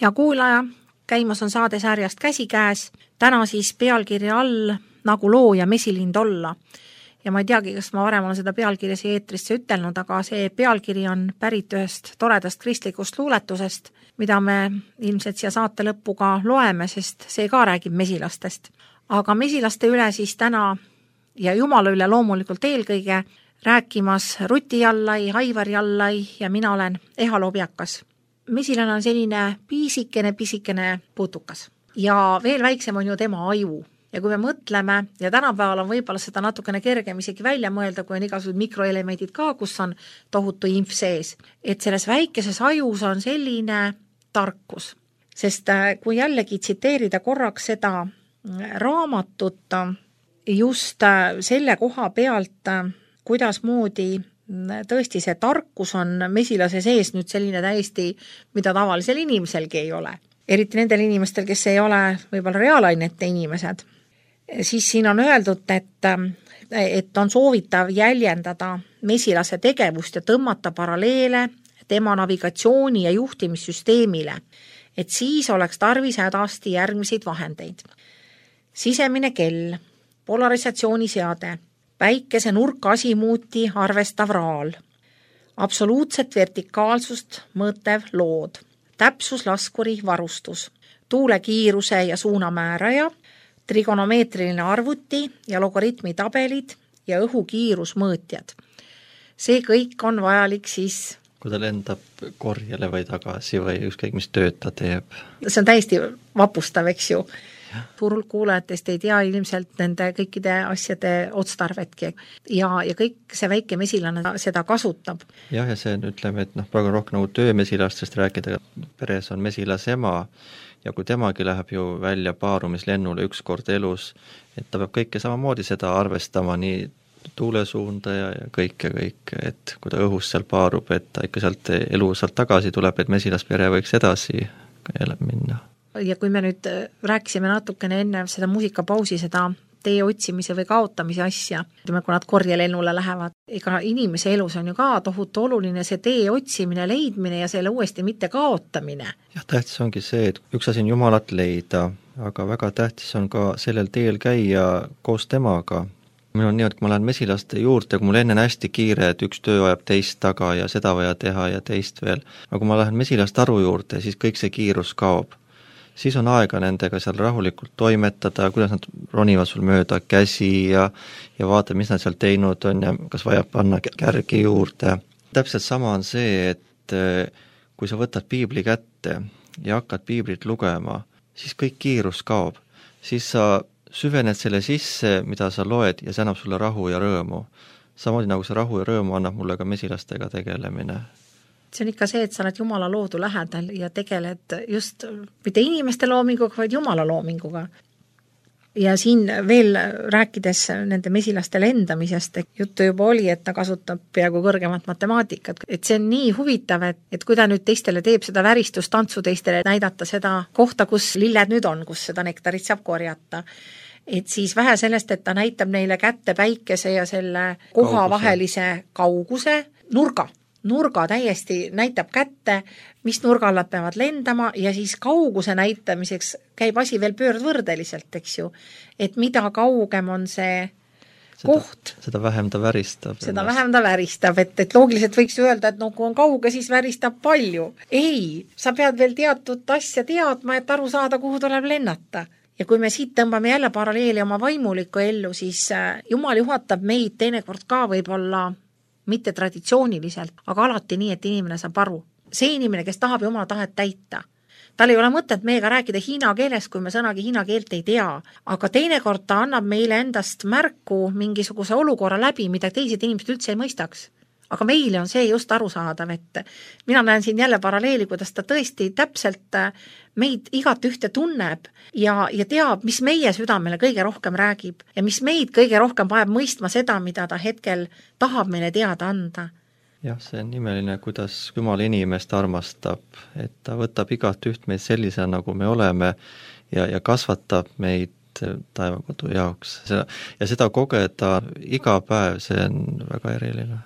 hea kuulaja, käimas on saade sarjast Käsikäes, täna siis pealkirja all Nagu looja mesilind olla. Ja ma ei teagi, kas ma varem olen seda pealkirja siia eetrisse ütelnud, aga see pealkiri on pärit ühest toredast kristlikust luuletusest, mida me ilmselt siia saate lõppu ka loeme, sest see ka räägib mesilastest. Aga mesilaste üle siis täna ja Jumala üle loomulikult eelkõige rääkimas Ruti Jallai, Aivar Jallai ja mina olen Eha Lobjakas. Mesilane on selline pisikene, pisikene putukas ja veel väiksem on ju tema aju. Ja kui me mõtleme, ja tänapäeval on võib-olla seda natukene kergem isegi välja mõelda, kui on igasugused mikroelemendid ka, kus on tohutu inf sees, et selles väikeses ajus on selline tarkus. Sest kui jällegi tsiteerida korraks seda raamatut just selle koha pealt, kuidas moodi tõesti see tarkus on mesilase sees nüüd selline täiesti, mida tavalisel inimeselgi ei ole. Eriti nendel inimestel, kes ei ole võib-olla reaalainete inimesed. Siis siin on öeldud, et, et on soovitav jäljendada mesilase tegevust ja tõmmata paralleele tema navigatsiooni ja juhtimissüsteemile, et siis oleks tarvis hädasti järgmiseid vahendeid. Sisemine kell, polarisatsiooniseade, päikese nurka asimuuti arvestav raal, absoluutset vertikaalsust mõõtev lood, täpsuslaskuri varustus, tuule kiiruse ja suunamääraja, trigonomeetriline arvuti ja logaritmi tabelid ja õhukiirusmõõtjad. See kõik on vajalik siis... Kui ta lendab korjele või tagasi või ükskõik, mis tööd ta teeb. See on täiesti vapustav, eks ju. Turul kuulajatest ei tea ilmselt nende kõikide asjade otstarvetki. Ja, ja kõik see väike mesilane seda kasutab. Jah, ja see ütleme, et noh, praegu on rohkem nagu töömesilastest rääkida. Peres on mesilase ema. Ja kui temagi läheb ju välja paarumislennule üks kord elus, et ta peab kõike samamoodi seda arvestama, nii tuulesuunda ja, ja kõik ja kõik, et kui ta õhus seal paarub, et ta ikka sealt elu sealt tagasi tuleb, et mesilaspere võiks edasi minna. Ja kui me nüüd rääkisime natukene enne seda muusikapausi, seda tee otsimise või kaotamise asja, kui nad korjelennule lähevad, ega inimese elus on ju ka tohutu oluline see tee otsimine, leidmine ja selle uuesti mitte kaotamine. Jah, tähtis ongi see, et üks asi on Jumalat leida, aga väga tähtis on ka sellel teel käia koos temaga. Meil on nii, et kui ma lähen mesilaste juurde, kui mul enne hästi kiire, et üks töö ajab teist taga ja seda vaja teha ja teist veel, aga kui ma lähen mesilaste aru juurde, siis kõik see kiirus kaob. Siis on aega nendega seal rahulikult toimetada, kuidas nad ronivad sul mööda käsi ja, ja vaata, mis nad seal teinud on ja kas vaja panna kärgi juurde. Täpselt sama on see, et kui sa võtad piibli kätte ja hakkad piiblit lugema, siis kõik kiirus kaob. Siis sa süvened selle sisse, mida sa loed ja see annab sulle rahu ja rõõmu. Samamoodi nagu see rahu ja rõõmu annab mulle ka mesilastega tegelemine. See on ikka see, et sa oled Jumala loodu lähedal ja tegeled just mitte inimeste loominguga, vaid Jumala loominguga. Ja siin veel rääkides nende mesilaste lendamisest, juttu juba oli, et ta kasutab peaaegu kõrgemat matemaatikat. Et see on nii huvitav, et, et kui ta nüüd teistele teeb seda väristustantsu, teistele näidata seda kohta, kus lilled nüüd on, kus seda nektarit saab korjata. Et siis vähe sellest, et ta näitab neile kätte päikese ja selle koha vahelise kauguse nurga. Nurga täiesti näitab kätte, mis nurgal nad peavad lendama ja siis kauguse näitamiseks käib asi veel pöördvõrdeliselt, eks ju. Et mida kaugem on see seda, koht. Seda vähem ta väristab. Seda ennast. vähem ta väristab, et, et loogiliselt võiks öelda, et no kui on kauge, siis väristab palju. Ei, sa pead veel teatud asja teadma, et aru saada, kuhu tuleb lennata. Ja kui me siit tõmbame jälle paralleeli oma vaimulikku ellu, siis Jumal juhatab meid teinekord ka võib-olla mitte traditsiooniliselt, aga alati nii, et inimene saab aru. See inimene, kes tahab Jumala tahet täita, tal ei ole mõtet meiega rääkida hiina keeles, kui me sõnagi hiina keelt ei tea, aga teinekord ta annab meile endast märku mingisuguse olukorra läbi, mida teised inimesed üldse ei mõistaks. Aga meile on see just arusaadav, et mina näen siin jälle paralleeli, kuidas ta tõesti täpselt meid igat ühte tunneb ja, ja teab, mis meie südamele kõige rohkem räägib ja mis meid kõige rohkem vajab mõistma seda, mida ta hetkel tahab meile teada anda. Jah, see on imeline, kuidas Jumal inimest armastab, et ta võtab igat üht meid sellise, nagu me oleme ja, ja kasvatab meid taevakodu jaoks. Ja seda kogeda iga päev, see on väga eriline.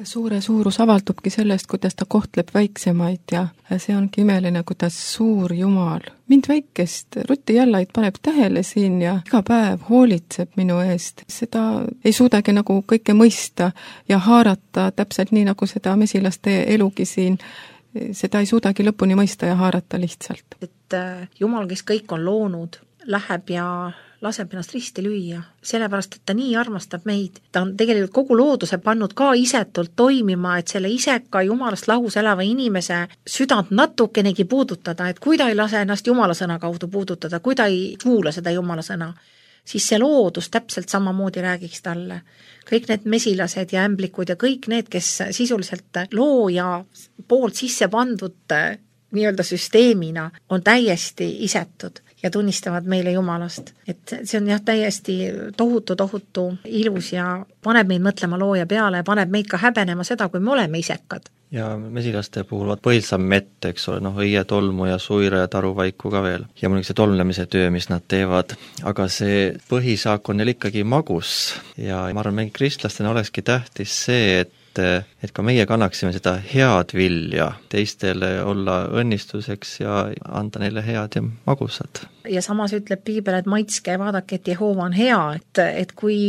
suure suurus avaldubki sellest, kuidas ta kohtleb väiksemaid ja see ongi imeline, kuidas suur Jumal mind väikest rutijallaid paneb tähele siin ja iga päev hoolitseb minu eest. Seda ei suudagi nagu kõike mõista ja haarata täpselt nii, nagu seda mesilaste elugi siin, seda ei suudagi lõpuni mõista ja haarata lihtsalt. Et Jumal, kes kõik on loonud, läheb ja laseb ennast risti lüüa, sellepärast, et ta nii armastab meid. Ta on tegelikult kogu looduse pannud ka isetult toimima, et selle iseka Jumalast lahus elava inimese südant natukenegi puudutada, et kui ta ei lase ennast Jumala sõna kaudu puudutada, kui ta ei kuula seda Jumala sõna, siis see loodus täpselt samamoodi räägiks talle. Kõik need mesilased ja ämblikud ja kõik need, kes sisuliselt looja poolt sisse pandud nii-öelda süsteemina on täiesti isetud ja tunnistavad meile Jumalast. Et see on jah täiesti tohutu, tohutu ilus ja paneb meid mõtlema looja peale ja paneb meid ka häbenema seda, kui me oleme isekad. Ja mesilaste puhul põilsam mett, eks ole, noh, õie tolmu ja suira ja taruvaiku ka veel. Ja muidugi see tolmlemise töö, mis nad teevad. Aga see põhisaak on neil ikkagi magus ja ma arvan, meil kristlastena olekski tähtis see, et et ka meie kannaksime seda head vilja teistele olla õnnistuseks ja anda neile head ja magusad. Ja samas ütleb Piibel, et maitske ja vaadake, et Jehova on hea, et, et kui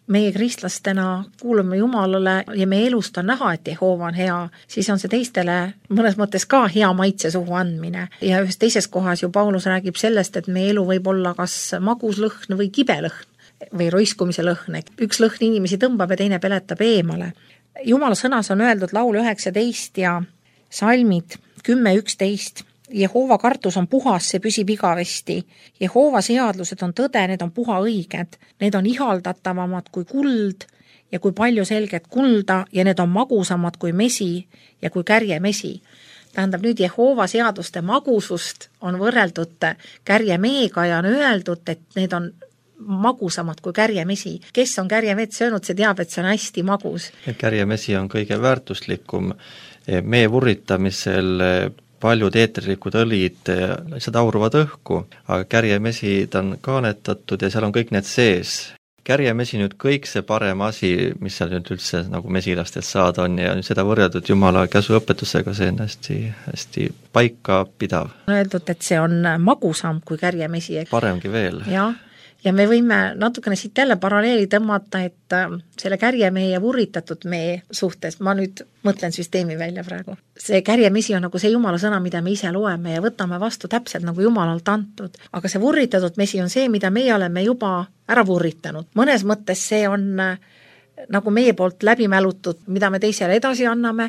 meie kristlastena kuulume Jumalale ja meie elust on näha, et Jehova on hea, siis on see teistele mõnes mõttes ka hea maitse suhu andmine. Ja ühes teises kohas ju Paulus räägib sellest, et meie elu võib olla kas maguslõhn või kibelõhn või roiskumise lõhn. Üks lõhn inimesi tõmbab ja teine peletab eemale. Jumala sõnas on öeldud laul üheksateist ja salmid kümme üksteist. Jehova kartus on puhas, see püsib igavesti. Jehova seadlused on tõde, need on puha õiged. Need on ihaldatavamad kui kuld ja kui palju selget kulda ja need on magusamad kui mesi ja kui kärjemesi. Tähendab nüüd Jehova seaduste magusust on võrreldud kärjemeega ja on öeldud, et need on magusamad kui kärjemesi. Kes on kärjemett söönud, see teab, et see on hästi magus. Kärjemesi on kõige väärtuslikum. Mee vurritamisel paljud eetrilikud õlid lihtsalt auruvad õhku, aga kärjemesi ta on kaanetatud ja seal on kõik need sees. Kärjemesi nüüd kõik see parem asi, mis seal nüüd üldse nagu mesilastelt saada on ja seda võrreldud Jumala käsuõpetusega, see on hästi, hästi paika pidav. On öeldud, et see on magusam kui kärjemesi. Paremgi veel. Jah. Ja me võime natukene siit jälle paralleeli tõmmata, et selle kärjemee ja vurritatud mee suhtes, ma nüüd mõtlen süsteemi välja praegu. See kärjemesi on nagu see Jumala sõna, mida me ise loeme ja võtame vastu täpselt nagu Jumalalt antud. Aga see vurritatud mesi on see, mida meie oleme juba ära vurritanud. Mõnes mõttes see on nagu meie poolt läbi mälutud, mida me teisele edasi anname.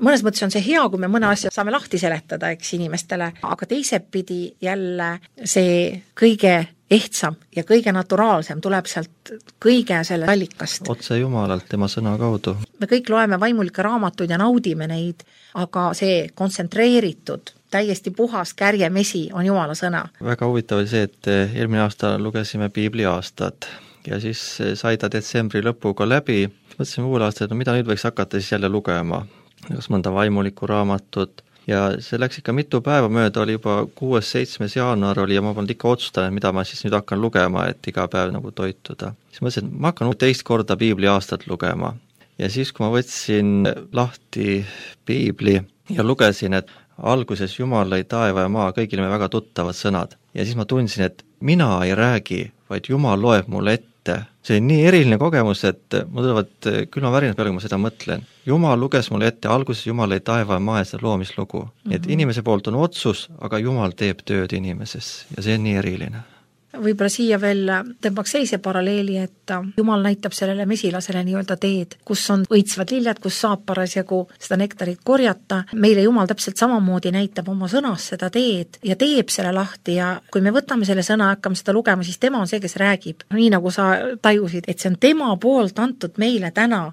Mõnes mõttes on see hea, kui me mõne asja saame lahti seletada, eks inimestele, aga teisepidi jälle see kõige ehtsam ja kõige naturaalsem tuleb sealt kõige selle allikast. Otse Jumalalt, tema sõna kaudu. Me kõik loeme vaimulikke raamatuid ja naudime neid, aga see kontsentreeritud, täiesti puhas kärjemesi on Jumala sõna. Väga huvitav oli see, et eelmine aasta lugesime Piibli aastat ja siis sai ta detsembri lõpuga läbi. Mõtlesime uue aasta, et no mida nüüd võiks hakata siis jälle lugema, kas mõnda vaimulikku raamatut. Ja see läks ikka mitu päeva mööda, oli juba kuues seitsmes jaanuar oli ja ma polnud ikka otsustanud, mida ma siis nüüd hakkan lugema, et iga päev nagu toituda. Siis mõtlesin, et ma hakkan teist korda Piibli aastat lugema. Ja siis, kui ma võtsin lahti Piibli ja lugesin, et alguses Jumal lõi taeva ja maa, kõigile me väga tuttavad sõnad. Ja siis ma tundsin, et mina ei räägi, vaid Jumal loeb mulle ette. See on nii eriline kogemus, et mul tulevad külma värinad peale, kui ma seda mõtlen. Jumal luges mulle ette, alguses Jumal lõi taeva ja maa ja seda loomislugu. Mm-hmm. Et inimese poolt on otsus, aga Jumal teeb tööd inimeses ja see on nii eriline. Võib-olla siia veel tõmbaks seise paralleeli, et Jumal näitab sellele mesilasele nii-öelda teed, kus on õitsvad liljad, kus saab parasjagu seda nektarit korjata. Meile Jumal täpselt samamoodi näitab oma sõnas seda teed ja teeb selle lahti ja kui me võtame selle sõna ja hakkame seda lugema, siis tema on see, kes räägib. Nii nagu sa tajusid, et see on tema poolt antud meile täna.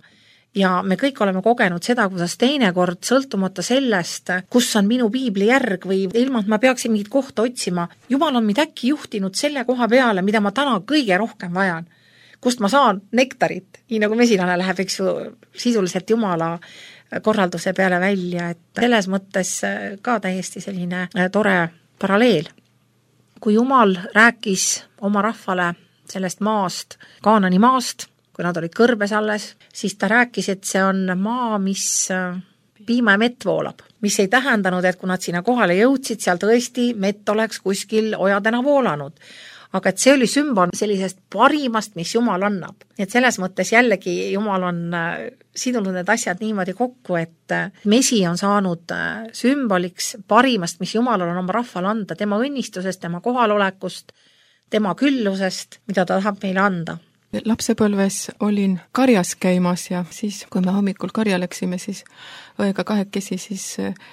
Ja me kõik oleme kogenud seda, kuidas teinekord sõltumata sellest, kus on minu piibli järg või ilma, et ma peaksin mingit kohta otsima. Jumal on mind äkki juhtinud selle koha peale, mida ma täna kõige rohkem vajan. Kust ma saan nektarit, nii nagu mesilane läheb, eks ju, sisuliselt Jumala korralduse peale välja. Et selles mõttes ka täiesti selline tore paralleel. Kui Jumal rääkis oma rahvale sellest maast, Kaanani maast, kui nad olid kõrbes alles, siis ta rääkis, et see on maa, mis piima ja mett voolab, mis ei tähendanud, et kui nad sinna kohale jõudsid, seal tõesti mett oleks kuskil ojadena voolanud. Aga et see oli sümbol sellisest parimast, mis Jumal annab. Et selles mõttes jällegi Jumal on sidunud need asjad niimoodi kokku, et mesi on saanud sümboliks parimast, mis Jumalal on oma rahval anda, tema õnnistusest, tema kohalolekust, tema küllusest, mida ta tahab meile anda. Lapsepõlves olin karjas käimas ja siis, kui me hommikul karja läksime, siis õega kahekesi, siis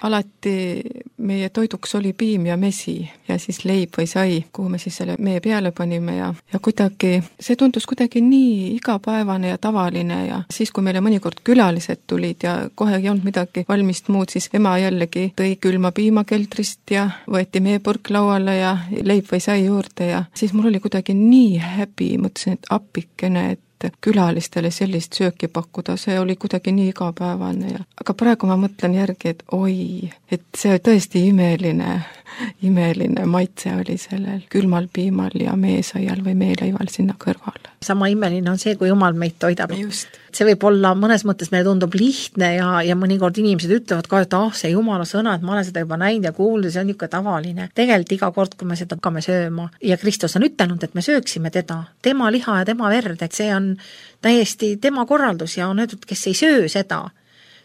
alati meie toiduks oli piim ja mesi ja siis leib või sai, kuhu me siis selle mee peale panime ja, ja kuidagi, see tundus kuidagi nii igapäevane ja tavaline ja siis, kui meile mõnikord külalised tulid ja kohe ei olnud midagi valmist muud, siis ema jällegi tõi külma piima keldrist ja võeti meepurk lauale ja leib või sai juurde ja siis mul oli kuidagi nii häbi, mõtlesin, et appikene, et külalistele sellist sööki pakkuda, see oli kuidagi nii igapäevane ja aga praegu ma mõtlen järgi, et oi, et see tõesti imeline, imeline maitse oli sellel külmal piimal ja meesaial või meeleival sinna kõrval. Sama imeline on see, kui Jumal meid toidab. Just. See võib olla, mõnes mõttes meile tundub lihtne ja, ja mõnikord inimesed ütlevad ka, et ah, see Jumala sõna, et ma olen seda juba näinud ja kuulnud, see on niisugune tavaline. Tegelikult iga kord, kui me seda hakkame sööma ja Kristus on ütelnud, et me sööksime teda, tema liha ja tema verd, et see on täiesti tema korraldus ja on öeldud, kes ei söö seda,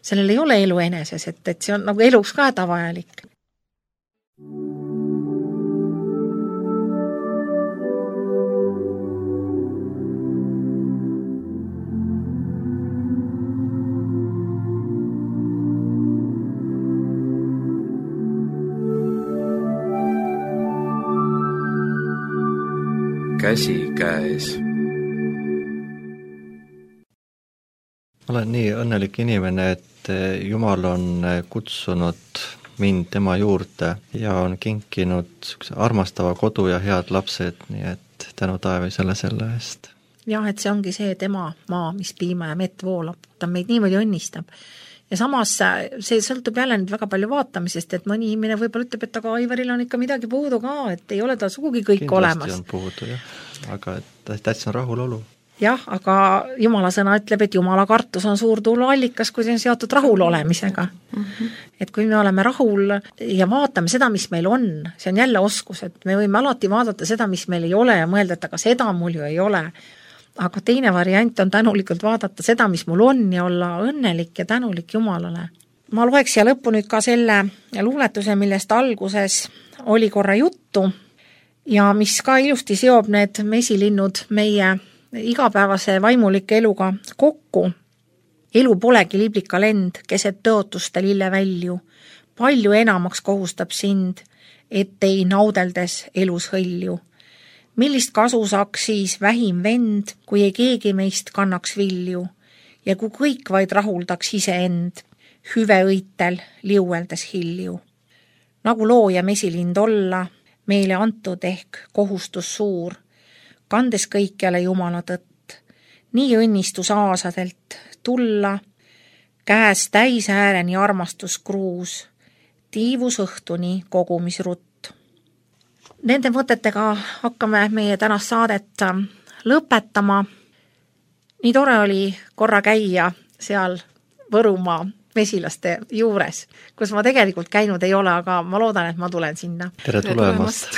sellel ei ole elu eneses, et, et see on nagu eluks ka hädavajalik. Käsi käes. Ma olen nii õnnelik inimene, et Jumal on kutsunud mind tema juurde ja on kinkinud armastava kodu ja head lapsed, nii et tänu taevasele selle eest. Jah, et see ongi see tema maa, mis piima ja mett voolab. Ta meid niimoodi õnnistab. Ja samas see sõltub jälle nüüd väga palju vaatamisest, et mõni inimene võib-olla ütleb, et aga Aivaril on ikka midagi puudu ka, et ei ole ta sugugi kõik kindlasti olemas. Kindlasti on puudu, jah. Aga täitsa on rahulolu. Jah, aga Jumala sõna ütleb, et Jumala kartus on suur tuluallikas, kui see on seotud rahul olemisega. Mm-hmm. Et kui me oleme rahul ja vaatame seda, mis meil on, see on jälle oskus, et me võime alati vaadata seda, mis meil ei ole ja mõelda, et aga seda mul ju ei ole. Aga teine variant on tänulikult vaadata seda, mis mul on ja olla õnnelik ja tänulik Jumalale. Ma loeks siia lõppu nüüd ka selle luuletuse, millest alguses oli korra juttu ja mis ka ilusti seob need mesilinnud meie igapäevase vaimulike eluga kokku. Elu polegi liblika lend, keset tõotuste lille välju. Palju enamaks kohustab sind, et ei naudeldes elus hõlju. Millist kasu saaks siis vähim vend, kui ei keegi meist kannaks vilju ja kui kõik vaid rahuldaks ise end, hüve õitel liueldes hilju. Nagu looja mesilind olla, meile antud ehk kohustus suur, kandes kõikjale Jumala tõtt, nii õnnistus aasadelt tulla, käes täis ääreni armastus kruus, tiivus õhtuni kogumisrutt. Nende mõtetega hakkame meie tänast saadet lõpetama. Nii tore oli korra käia seal Võrumaa mesilaste juures, kus ma tegelikult käinud ei ole, aga ma loodan, et ma tulen sinna. Tere tulemast!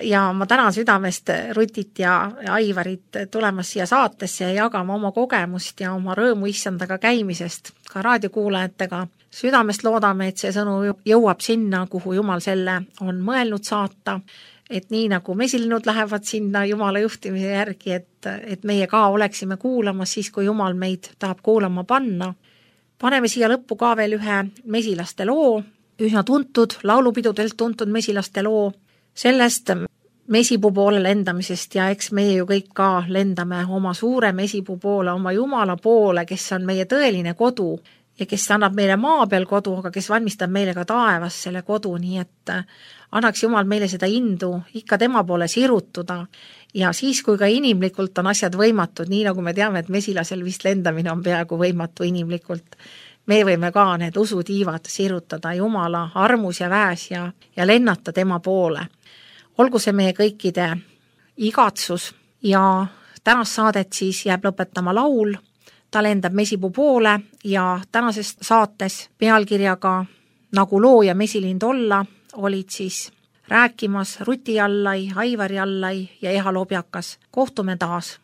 Ja ma tänan südamest Rutit ja Aivarit tulemas siia saatesse ja jagama oma kogemust ja oma rõõmu issandaga käimisest ka raadiokuulajatega. Südamest loodame, et see sõnu jõuab sinna, kuhu Jumal selle on mõelnud saata, et nii nagu mesilinnud lähevad sinna Jumala juhtimise järgi, et, et meie ka oleksime kuulamas siis, kui Jumal meid tahab kuulama panna. Paneme siia lõppu ka veel ühe mesilaste loo, üsna tuntud, laulupidudelt tuntud mesilaste loo, sellest mesipuu poole lendamisest ja eks meie ju kõik ka lendame oma suure mesipuu poole, oma Jumala poole, kes on meie tõeline kodu ja kes annab meile maa peal kodu, aga kes valmistab meile ka taevas selle kodu, nii et annaks Jumal meile seda indu ikka tema poole sirutuda ja siis, kui ka inimlikult on asjad võimatud, nii nagu me teame, et mesilasel vist lendamine on peaaegu võimatu inimlikult, me võime ka need usutiivad sirutada Jumala armus ja väes ja, ja lennata tema poole. Olgu see meie kõikide igatsus ja tänast saadet siis jääb lõpetama laul, ta lendab Mesipuu poole ja tänases saates pealkirjaga Nagu loo ja mesilind olla olid siis rääkimas Ruti Jallai, Aivar Jallai ja Eha Lobjakas. Kohtume taas!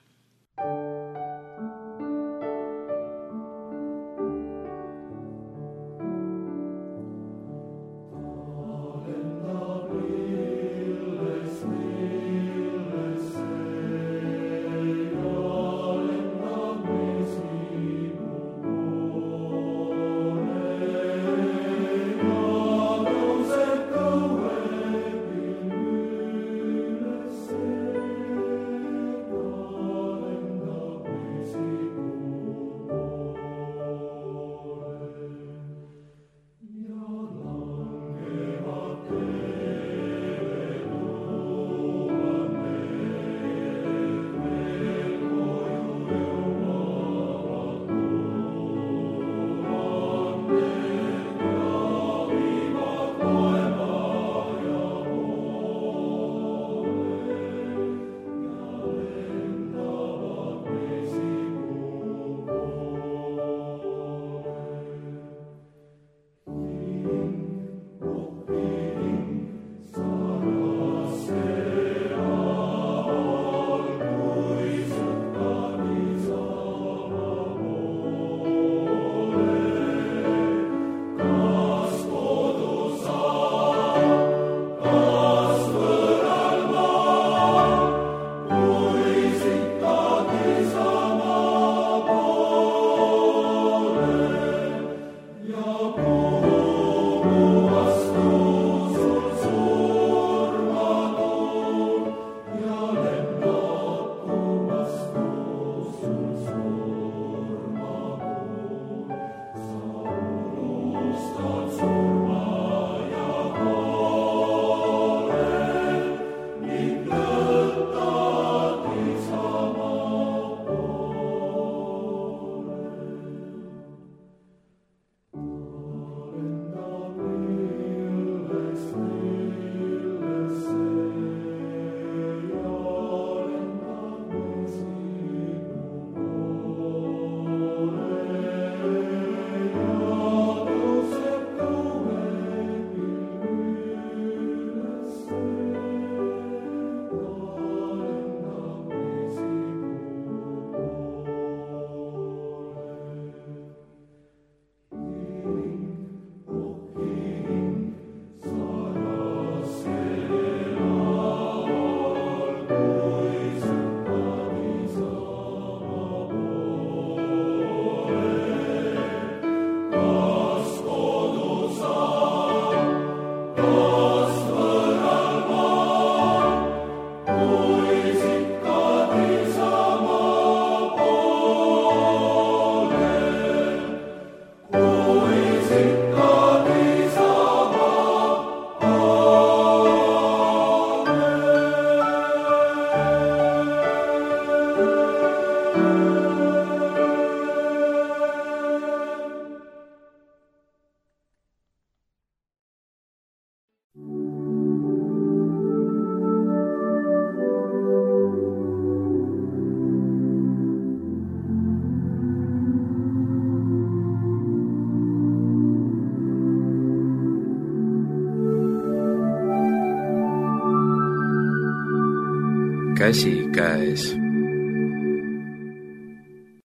käsikäes.